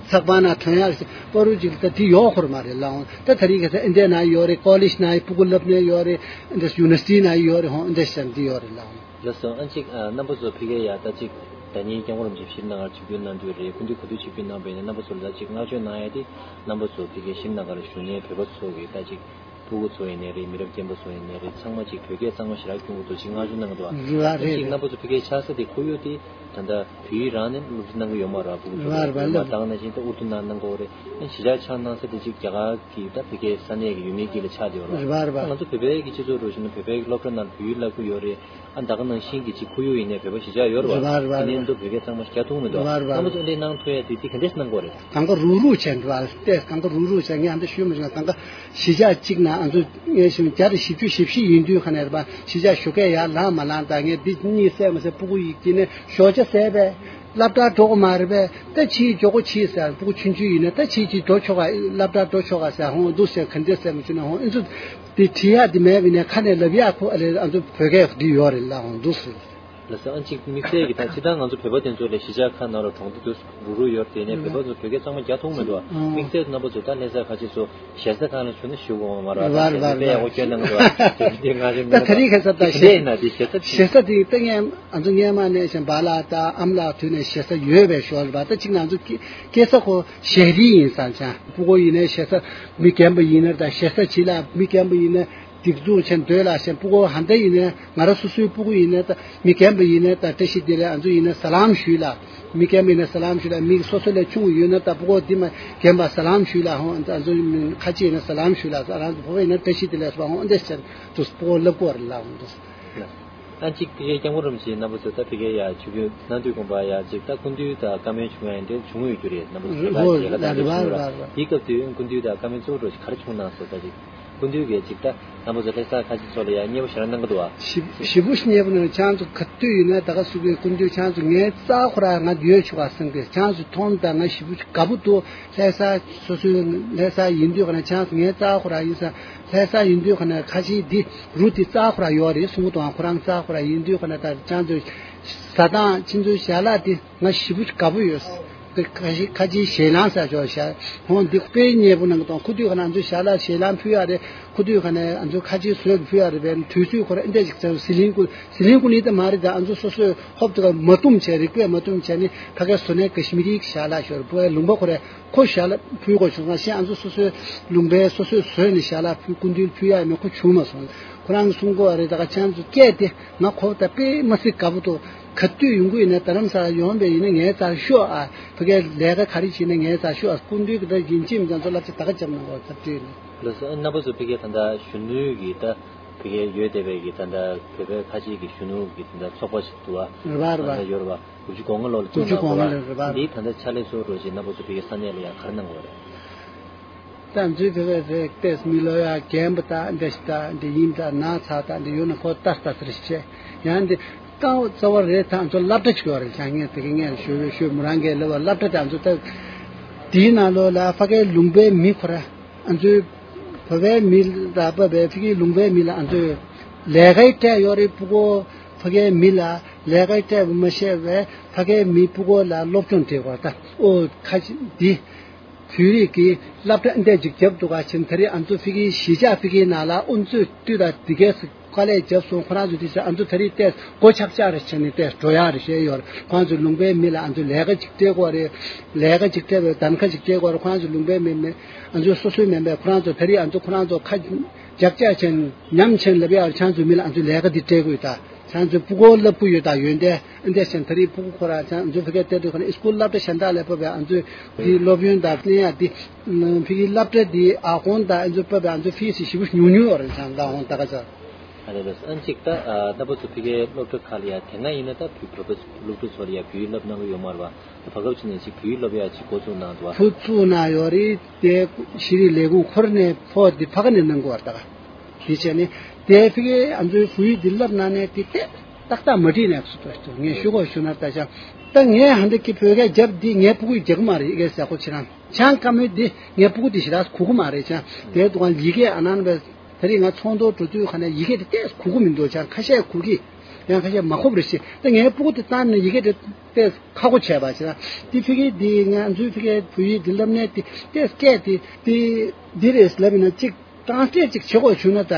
ཚགས་པར་ནང་ཐོན་ཡག་ཟེར་པ་རུ་ཅི་ད་དེ་ཡོད་ཁོར་མ་རེད་ལགས། ད་ད་རིང་ཁ་སང་ཨིན་ཌི་ཡ་ནང་ཡོད་རེད། ཀོ་ལེཇ་ནང་སྤུ་གུ་སློབ་གནས་ཡོད་རེད། ཨིན་ཌི་ཡུ་ནི་ཝར་སི་ཊི་ནང་ཡོད་རེད། ཧོང་ཨིན་ཌི་ཡ་ཤན་དེ་ཡོད་རེད་ལགས། ལགས་སོ། ཨ་ཅིག་ཨ་རྣམ་པ་ཚོ་ཕ་གིར་ཡ་ད་ཅིག་ཟླ་ཉིན་སྐྱབས་མགོན་རིན་པོ་ཆེ་ཕྱིར་ནང་ལ་ཆིབས་བསྒྱུར་གནང་དུས་རེད། སྐུ་མདུན་ག་དུས་ཆིབས་བསྒྱུར་གནང་བས་ནས་རྣམ་པ་ཚོ་ལ་ད་ཅིག་བསྔགས་བརྗོད་གནང་ཡ་དེ་རྣམ་པ་ཚོ་ཕ་གིར་ཕྱིར་ནང་ལ་བཞུགས་མཁན་བོད་པ་ཚོ་གི་ད་ཅིག་ཕྲུ་གུ་ཚོ་ཡིན་ནའི་རེད། མི་རབས་རྒན་པ་ཚོ་ཡིན་ནའི་རེད། ཚང་མ་ཅིག་བོད་སྐད་གཙང་མ་ཞེ་དྲག་སྐྱོན་གྱི་འདུག་ཅིག་བསྔགས་བརྗོད་གནང་གི་འདུག་ཨ། རེད་བ་རེད། ཅིག་རྣམ་པ་ཚོ་ཕ་གིར་ཆགས་ས་དེ་ཁོར་ཡུག་དེ་ད་ལྟ་བོད་ཡིག་རང་ནས་སློབ་ཁྲིད་གནང་གི་ཡོད་མ་རེད། ཕྲུ་གུ་ཚོ་རེད་བ་རེད་བ་ལ། མ་དང་ནང་བཞིན་ད་ཨུར་དུ་ནང་གནང་གི་ཡོད་རེད། ཨ་གཞིས་ཆགས་ཆགས་གནང་ས་དེ་ཅིག་རྒྱ་གར་གི་ད་ཕ་གིའི་ས་གནས་ཀྱི་ཡུལ་མིའི་དཀྱིལ་ལ་ཆགས་བསྡད་ཡོད་རེད་བ། རེད་བ་རེད་བ། ང་ཚོ་བོད་པའི་གི་སྤྱི་ཚོགས་འགྲོ་བཞིན་ན་བོད་པའི་གི་སློབ་གྲྭ་ནང་བོད་ཡིག་བསླབ་ཀྱི་ཡོད་རེད། ཨ་ད་ག་ནང་བཞིན་གྱི་ཅིག་ཁོར་ཡུག་ཡིན་ནའི་བོད་པ་གཞིས་ཆགས་ཡོད་རེད་བ། རེད་བ་རེད་བ། ཨ་ནི་འདི་བོད་སྐད་གཙང་མ་ཞིག་རྒྱག་ཐུབ་མི་འདུག་རེད་བ་རེད་བ། ཨ་ནི་འདི་གནང་ཐུབ་ཡ་དེ་འདི་ག་འདྲས་གནང་དགོས་རེད། གང་ག་རུག་རུག་བྱས་འདུག་ཨ་ལྟས་གང་ག་རུག་རུག་བྱས་ངས་ཨ་འདི་ཞུས་མ་བྱུང་། གང་ག་གཞིས་ཆགས་གཅིག་ན་ཨ་ཚོ་ངས་ཞུ་བརྒྱ་དང་བཞི་བཅུ་ཞེ་བཞི་ཡིན་དུས་ཁ་ནས་རེད་བ། གཞིས་ཆགས་ཞོགས་ཀས་ཡར་ལངས་མ་ལངས་དང་ངས་འདི་གཉིས་བསད་མ་བསད་སྤུ་གུ་ཡིས་ཀྱི་ནས་ཞོགས་ཇ་བཟས་པས། སློབ་གྲྭ་འགྲོ་གི་མ་རེད་པས། ད་ཕྱིའི་མགྱོགས་པོ་ཕྱིས་ཟེར། སྤུ་གུ་ཆུང་ཆུང་ཡིན་ན་ད་ཕྱིས་ཀྱི་འགྲོ་ཆོག་ག་སློབ་གྲྭ་འགྲོ་ཆོག་ག་ཟེར། ཧོང་འདུག་ཟེར་ག་འདྲས་ཟེར་མི་བྱུང་ན་ཧོང་ཨེ་ཚོ་དེ་བྲིས་ཡག་དེ་མེད་པ་ཡིན་ན་ཁ་ནས་ལབ་ཡག་ཁོ་ཨ་ལས་ཨ་ཚོ་བོད་སྐད་འདི་ཡོད་རེད་ལ་ཧོང་འདུག་ཟེར། ལགས་སོ། ཨ་ཅིག་དམིགས་བསལ་གྱི་ད་སྤྱིར་བཏང་ང་ཚོ་བོད་པ་དེ་ཚོ་ལ་གཞིས་ཆགས་ཁག་ནང་ལ་གྲོང་སྡེ་དུ་རུ་རུ་ཡོད་དེ་ནས་བོད་པ་ཚོ་བོད་སྐད་གཙང་མ་རྒྱག་ཐུབ་མི་འདུག་དམིགས་བསལ་དུ་རྣམ་པ་ཚོ་ད་ལྷ་ས་ཁ་ཆེ་ཚོ་ཞེ་ས་ཁང་ལ་བྱུང་ན་ཞུ་དགོས་མ་རེད། རེད་པ། རེད་པ། ཡག་པོ་སྐྱོན་གནང་འདུག་དེ་ཡང་ང་ཚོ་ད་ད་རེས་ཁ་སང་ད་ཞེ་ས་དེ་ཡིན་ན་དེ་ཞེ་ས་ཞེ་ས་དེ་ད་ངས་ང་ཚོ་སྔས་མ་ནས་བཞིན་པ་ལགས་ད་ཨ་མ་ལགས་དུས་ནས་ཞེ་ས་ཡོད་པའི་ཞོར་རེད་པ། ད་ཅིག་ང་ཚོ་སྐྱེ་སྐྱེ་ས་ཁོ་ཞལ་རིས་ཡིན་ས་ཅང་། སྤུ་གུ་ཡིན་ནའི་ཞེ་ས་མི་རྒན་པ་ཡིན་ན་ད་ཞེ་ས་བྱིས་ལ་མི་རྒན་པ་ཡིན་ན། སྡིགས་མཛུབ་ཆེན་འདོད་ལ་ཞེན། སྤུ་གུ་ཧ་འདྲ་ཡིན་ནའི་ང་རང་སོ་སོའི་སྤུ་གུ་ཡིན་ནའི་ད་མི་རྒན་པ་ཡིན་ནའི་ད་བཀྲ་ཤིས་བདེ་ལེགས་ཨ་ཚོ་ཡིན་ན་ས་ལམ་ཞུས་ལ། མི་རྒན་པ་ཡིན་ན་ས་ལམ་ཞུས་ལ། མི་སོ་སོ་ལས་ཆུང་ཡོད་ན་ད་སྤུ་གུ་འདི་མ་རྒན་པ་ས་ལམ་ཞུས་ལ། ཧོ་ཨ་ཚོ་ཁ་ཆེ་ཡིན་ན་ས་ལམ་ཞུས་ལ། ཨ་རང་ཚོ་བོད་པ་ཡིན་ན་བཀྲ་ཤིས་བདེ་ལེགས་སོ་ཧོ་འདི་ཟེར་དུ་སྤུ་གུ་ལབ་དགོས་རེད་ལ་ཧོ་འདུག་ཨ་གཅིག་དེ་གའི་སྐྱབས་མགོན་རིན་པོ་ཆེ་རྣམ་པ་ཚོ་ད་ཕ་གིའི་ཡ་ཆོས་བརྒྱུད་གནང་དུས་དགོངས་པ་ཡ་གཅིག་ད་སྐུ་མདུན་དང་བཀའ་མོལ་བྱུང་ཡ་འདྲ་བྱུང་ཡོད་རྒྱུ་རེད། རྣམ་པ་ཚོ་ད་ཧོ་ལ་རེད་པ་རེད་པ་རེད་པ། དེའི་སྐབས་དུས་སྐུ་མདུན་དང་བཀའ་མོལ་གཙོ་བོ་འདྲ་ཞིག་ག་རེ་བྱུང་གནང་སོང་ད་ཅིག་སྐུ་མདུན་གྱིས་ཅིག་ད་རྣམ་པ་ཚོ་ལྷ་ས་ཁ་ཆེ་ཚོ་ལ་ཡང་མཉེས་པོ་ཞེ་དྲག་གནང་གི་འདུག་བ། ཞེ་ཞེ་པོ་ཞིག་མཉེས་པོ་གནང་། ཁྱེད་རང་ཚོ་ག་དུས་ཡིན་ན་ད་ག་སུ་གི་སྐུ་མདུན་ཁྱེད་རང་ཚོ་ངའི་རྩ་ཁོ་ར་ང་ཡོད་ཆོག་ག་སེང་གེ་ཁྱེད་རང་ཚོ་མཐོང་ད་ང་ཞེ་པོ་ཞིག་དགའ་པོ་འདུག་ལྷ་ས་སོ་སོའི་ལྷ་ས་ཡིན་དུས་ག་ན་ཁྱེད་རང་ཚོ་ངའི་རྩ་ཁོ་ར་ཡིན་ས་ལྷ་ས་ཡིན་དུས་ག་ན་ཁ་ཆེ་འདི་རུ་འདི་རྩ་ཁོ་ར་ཡོད་རེད་གསུང་གི་འདུག་ཁོ་རང་རྩ་ཁོ་ར་ཡིན་དུས་ག་ན་ད་ཁྱེད་རང་ཚོ་ཟ་སྟངས་ཁྱེད་ཚོའི་ཞལ་ལག་འདི། ང་ཞེ་པོ་དགའ་པོ་ཡོད། ཁ་ཆེ་ཁ་ཆེ་ཞལ་ལག་ཟ་ཆོག་ཤག་ཧོང་འདི་དཔེ་མཉེས་པོ་གནང་གི་འདུག་ཁོ་དུས་ག་ན་ང་ཚོ་ཞལ་ལག་ཞལ་ལག་ཕུལ་ཡ་རེད། ཁོ་དུས་ག་ན་ང་ཚོ་ཁ་ཆེ་བཟོས་ཕུལ་ཡ་རེད་པས། དུས་ཚོད་ཁོ་ར་ཨེ་འདྲ་ཞིག་ཚར་ཟི་ལིང་ཀུ་ཟི་ལིང་ཀུ་ནི་ད་མ་རེད། ད་ང་ཚོ་སོ་སོའི་ཧོབ་ཏེ་ག་མ་བཏུམ་བྱས་རིག་པས་མ་བཏུམ་བྱས་ནི་ཕ་གའི་བཟོ་ལས་ཀ་ཤི་མི་རིའི་ཞལ་ལག་ཤོར་བུ་ལུང་པ་ཁོ་ར་ཁོ་ཞལ་ལག་ཕུལ་དགོས་བྱུང་། ང་ཤེས་ང་ཚོ་སོ་སོའི་ལུང་པའི་སོ་སོས་བཟོས་ནི་ཞལ་ལག་ཕུལ་སྐུ་མདུན་ཕུལ་ཡ་མེད་ཁོ་བྱུང་མ་སོང་། ཁོ་རང་གིས་གསུང་གི་ཡོད་རེད། ད་ག་ཁྱེད་རང་ཚོ་སྐད་དེ་ང་ཁོ་ད་དཔེ་མ་སྲིད་དགའ་པོ་འདུག་ག་དུས་ཡོང་གི་ཡིན་ན་རྡ་རམ་ས་ལ་ཡོང་བས་ཡིན་ན་ངའི་རྩར་ཤོག་ཨ། ཕ་གིའི་ལས་ཀ་ག་རེ་བྱེད་ན་ངའི་རྩར་ཤོག་ཨ། སྐུ་མདུན་གྱི་ད་ཡིན་གཅིག་མིན་གཅིག་ཚོ་བསླབ་བྱ་ད་ག་བརྒྱབ་གནང་གོ་ཚབ་བྲིས་ནས། ལགས་སོ། རྣམ་པ་ཚོ་ཕ་གིའི་ད་ལྟ་གཞོན་ནུའི་གི་ད་ཕ་གིའི་ཡོད་བསྡད་པའི་གི་ད་ལྟ་བོད་པའི་ཁ་ཆེ་གི་གཞོན་ནུ་གི་ད་ལྟ་ཚོགས་པ་ཞིག་འདུག་ཨ། རེད་པ་རེད་པ། ད་ལྟ་ཡོད་རེད་པ། དགུ་བཅུ་གོ་ལྔ་ལོ་ལ་དགུ་བཅུ་གོ་ལྔ་ལོ་རེད་པ། འདིའི་ད་ལྟ་ཕྱག་ལས་གཙོ་བོ་འདྲ་ཞིག་རྣམ་པ་ཚོ་ཕ་གིའི་ས་གནས་ལ་ཡང་ག་རེ་གནང་གི་ཡོད་རེད། ད་ང་ཚོའི་བོད་པའི་རིགས་ཏེས་མི་ལོ་ཡ་རྒན་པ་དང་འདི་ཞིག་དང་འདི་ཡིན་དང་ན་ཚ་དང་འདི་ཡོད་ན་ཁོ་ལྟ་ལྟ་ཟེར་ཞེས་ཡང་འདི་རྐང་རྩ་བ་རེད། ད་ང་ཚོ་སློབ་གྲྭ་ཅིག་ཡོད་རེད། ཅང་ངས་དེ་གི་ངས་ཞུ་ཞུ་མོ་རང་གིས་ལབ་པ་སློབ་གྲྭ་དང་ང་ཚོ་ད་དེའི་ནང་ལོགས་ལ་ཕ་གའི་ལུང་པའི་མི་ཁོ་ར་ང་ཚོའི་བོད་པའི་མི་ལ་བབས་པའི་ཕ་གིའི་ལུང་པའི་མི་ལ་ང་ཚོས་ལས་ཀའི་སྤྲད་ཡོད་རེད། ཕྲུ་གུ་ཕ་གའི་མི་ལ་ལས་ཀའི་སྤྲད་པ་མ་ཤེས་པའི་ཕ་གའི་མི་ཕྲུ་གུ་ལ་སློབ་སྦྱོང་སྤྲད་དགོས། ད་ཨོ་ཁ་ཅིག་འདི། བོད་རིགས་ཀྱི་སློབ་གྲྭ་འདི་ཅིག་བརྒྱབ་འདུག་ག་ཕྱིན་ད་རེས་ང་ཚོ་ཕ་གིའི་གཞིས་ཆགས་ཕ་གིའི་ནང་ལ་དབུ་མཛད་དུས་དང་འདི་གས་སུ་དཀའ་ལས་བརྒྱབ་སོང་། ཁོ་རང་ཚོ་འདི་ཚོ་ང་ཚོ་ད་རེས་ཏོག་ཙམ་སྒོ་ཆག་ཆག་རེ་བྱས་ནས་ཏོག་ཙམ་འགྲོ་ཡག་རེ་བྱས་ཡོད་རེད། ཁོ་རང་ཚོ་ལུང་པའི་མི་ལ་ང་ཚོ་ལས་ཀ་ཅིག་སྤྲད་དགོས་རེད། ལས་ཀ་ཅིག་སྤྲད་དགོས་རེད། གདན་ཁ་ཅིག་སྤྲད་དགོས་རེད། ཁོ་རང་ཚོ་ལུང་པའི་མི་མི་ང་ཚོ་སོ་སོའི་མིན་པས་ཁོ་རང་ཚོ་ད་རེས་ང་ཚོ་ཁོ་རང་ཚོ་ཁ་རྒྱག་རྒྱག་བྱས་ནས་ཉམས་བྱས་ནས་ལབ་ཡག་རེད། ཁྱེད་རང་ཚོ་མི་ལ་ང་ཚོ་ལས་ཀ་འདི་སྤྲད་དགོས་ད། ཁྱེད་རང་ཚོ་ཕྲུ་གུ་བསླབ་ཀྱི་ཡོད་ད་ཡོན་ཏན། ཨ་འདྲས་ཅན་ད་རེས་ཕྲུ་གུ་ཁོ་རང་ཚང་ང་ཚོ་ཕ་གིར་བལྟས་དུས་ཁོ་ན་ཨི་སྐུལ་སློབ་གྲྭ་གཞན་དག་ལ་བབས་པའི་ང་ཚོའི་འདི་སློབ་ཡོན་དང་ལེན་ཡ་འདི་ཕ་གིའི་སློབ་གྲྭ་འདི་ཨ་ཁོང་དང་ཨ་ཚོ་བབས་པའི་ང་ཚོ་ཕི་སི་ཞེ་པོ་ཉུང་ཉུང་བ་རེད། ཚང་ད་ཁོང་ད་ག་ཚ། ཨ་རེད་ལགས། ཨ་ཅིག་ད་ཨ་རྣམ་པ་ཚོ་ཕ་གིའི་སློབ་གྲྭ་ཁག་ལ་ཡ་དེ་སྔ་ཡིན་ན་ད་བོད་བོད་པ་སློབ་ཕྲུག་ཚོ་ལ་ཡ་བོད་ཡིག་བསླབ་གནང་གི་ཡོད་མ་རེད་པ། ད་བར་སྐབས་ཕྱིན་ནས་ཅིག་བོད་ཡིག་སློབ་ཡ་ཅིག་འགོ་བཙུགས་གནང་འདུག་པ། འགོ་བཙུགས་གནང་ཡོད་རེད། དེ་ཤེས་རིག་ལས་ཁུངས་ཁོ་ར་ནས་ཕོགས་འདི་ཕ་གི་ནས་གནང་དགོས་པ་རེད་ད་ག་དེ་བྱས་ནས་དེ་ཕ་གིའི་ང་ཚོའི་བོད་ཡིག་འདི་བསླབ་གནང་ནས་དེ་ཏོག་ཙམ་ཏག་ཏག་མ་བྲིས་ནས་སུ་ཏོག་ཏོག་ངས་ཞུ་དགོས་ཞུ་ན་ད་ཆ་ད་ངས་ཧ་འདི་ཀི་བོད་སྐད་རྒྱབ་འདི་ངའི་ཕྲུ་གུས་རྒྱག་གི་མ་རེད། ཡི་གེ་ཟེར་ཁོ་ཁྱེད་རང་ཆང་བཀའ་མོལ་འདི་ངའི་ཕྲུ་གུ་འདི་ཞེ་དྲག་གོ་གི་མ་རེད། ཆང་དེའི་དུས་ཡི་གེ་ཨ་ནང་བས་ད་རེས་ང་ཚོགས་འདུར་འགྲོ་དུས་ཁ་ནས་ཡི་གེ་དེ་ཏོག་ཙམ་གོ་གི་མི་འདུག་ཆང་ཁ་ཤས་གོ་གི་ཡང་ཁ་ཤས་མ་གོ་བ་རེད་ཤི། ད་ངའི་ཕྲུ་གུ་དེ་བཏང་ནས་ཡི་གེ་དེ་ཏོག་ཙམ་ཁག་པོ་བྱས་པ་ཞེ་དྲག་འདི་ཕ་གི་འདི་ང་ཚོའི་ཕ་གིའི་བོད་ཡིག་འདི་བསླབ་གནས་དེ་ཏོག་ཙམ་སྐད་དེ་དེ་འདི་རེད་ལབ་ཡིན་ན་གཅིག་གྲངས་ཀ་ཅིག་བྱེད་དགོས་བྱུང་ན་ད་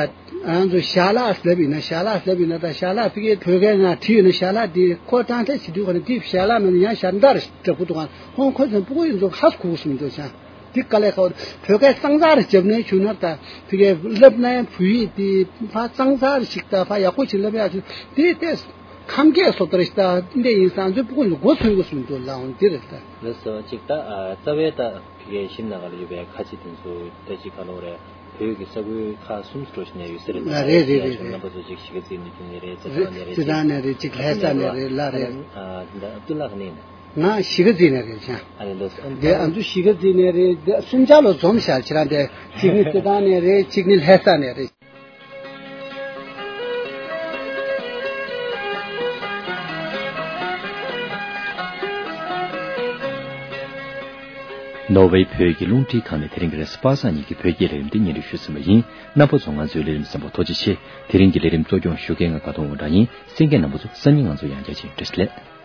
ང་ཚོ་ཞལ་ལག་ལབ་ཡིན་ན་ཞལ་ལག་ལབ་ཡིན་ན་ད་ཞལ་ལག་ཕ་གིའི་བོད་སྐད་ནང་བྲིས་ཡོད་ན་ཞལ་ལག་འདི་ཁོ་གྲངས་ཀ་བྱེད་དུས་ག་ནས་འདི་ཞལ་ལག་མིན་ན་ཡང་ཞལ་འདར་འདྲ་པོ་འདུག་ག་ཧོན་ཁོ་ཚོ་ཕྲུ་གུ་ཡིན་ཚོ་ཧ་གོ་གསུམ་འདུག་ཅང་འདི་དཀའ་ལས་ཁག་བོད་སྐད་གཙང་གཙང་རེ་བརྒྱབ་ནས་བྱུང་ན་ད་ཕ་གིའི་བསླབ་ནའི་བོད་ཡིག་འདི་ཕ་གཙང་གཙང་རེ་ཞིག་ད་ཕ་ཡག་པོ་ཞིག་ལབ་ཡག་ཅིག་འདི་ཏོག་ཙམ་ཁམས་སྐད་སོགས་ད་རེ་ཞིག་ད་འདི་ཡིན་ཙང་ཚོའི་ཕྲུ་གུ་ཡིན་ཚོ་མགོ་ཚོས་གསུམ་འདུག་ལ་འོང་འདི་རེད་ད། ལགས་སོ། གཅིག་ད་རྩ་བའི་ད། ཕ་གིའི་ཞིང་ནང་ལ་ཡོད་པའི་ཁ་ཆེ་དེ་ཚོ་ད་ཅི་ག་ལོ་རེད། བོད་ཀྱི་ས་ཁུལ་ཁག་གསུམ་འགྲོ་བཞིན་ནས་ཡོད་ས་རེད། ཨ་རེད་རེད་རེད་རེད། རྣམ་པ་ཚོ་ཅིག་གཞིས་ཀ་རྩེ་ནས་ཁྱོན་ནས་རེད། རྩེ་ཐང་ནས་རེད། རྩེ་ཐང་ནས་རེད། ཅིག་ལྷ་ས་ནས་རེད། ལ་རེད། ཨ་ད་ཨབ་དུ་ལ་ག་ནས་ཡིན། ང་གཞིས་ཀ་རྩེ་ནས་རེད་ཅང་། ཨ་རེད་ལགས། དེ་ཨ་ཚོ་གཞིས་ཀ་རྩེ་ནས་རེད། དེ་གསུམ་ཆ་ལོ་འཛོམས་ཤག་ཁྱེད་རང་དེ་གཅིག་ནི་རྩེ་ཐང་ནས་རེད། གཅིག་ནི་ལྷ་ས་ནས་རེད། ནོར་ཝེ་བོད་ཀྱི་རླུང་འཕྲིན་ཁང་ནས་དེ་རིང་གི་རེས་གཟའ་པ་སངས་ཉིན་གྱི་བོད་སྐད་ལས་རིམ་འདི་སྙན་སྒྲོན་ཞུས་ཟིན་པ་ཡིན། རྣམ་པ་ཚོ་ང་ཚོའི་ལས་རིམ་གསན་པར་ཐུགས་རྗེ་ཆེ། དེ་རིང་གི་ལས་རིམ་གཙོ་སྐྱོང་ཞུ་མཁན་ང་དགའ་གདོང་དབང་གྲགས་ཡིན། གསན་མཁན་རྣམ་པ་ཚོ་སང་ཉིན་ང་ཚོ་ཡང་བསྐྱར་ཅིག་བཀྲ་ཤིས་བདེ་ལེགས།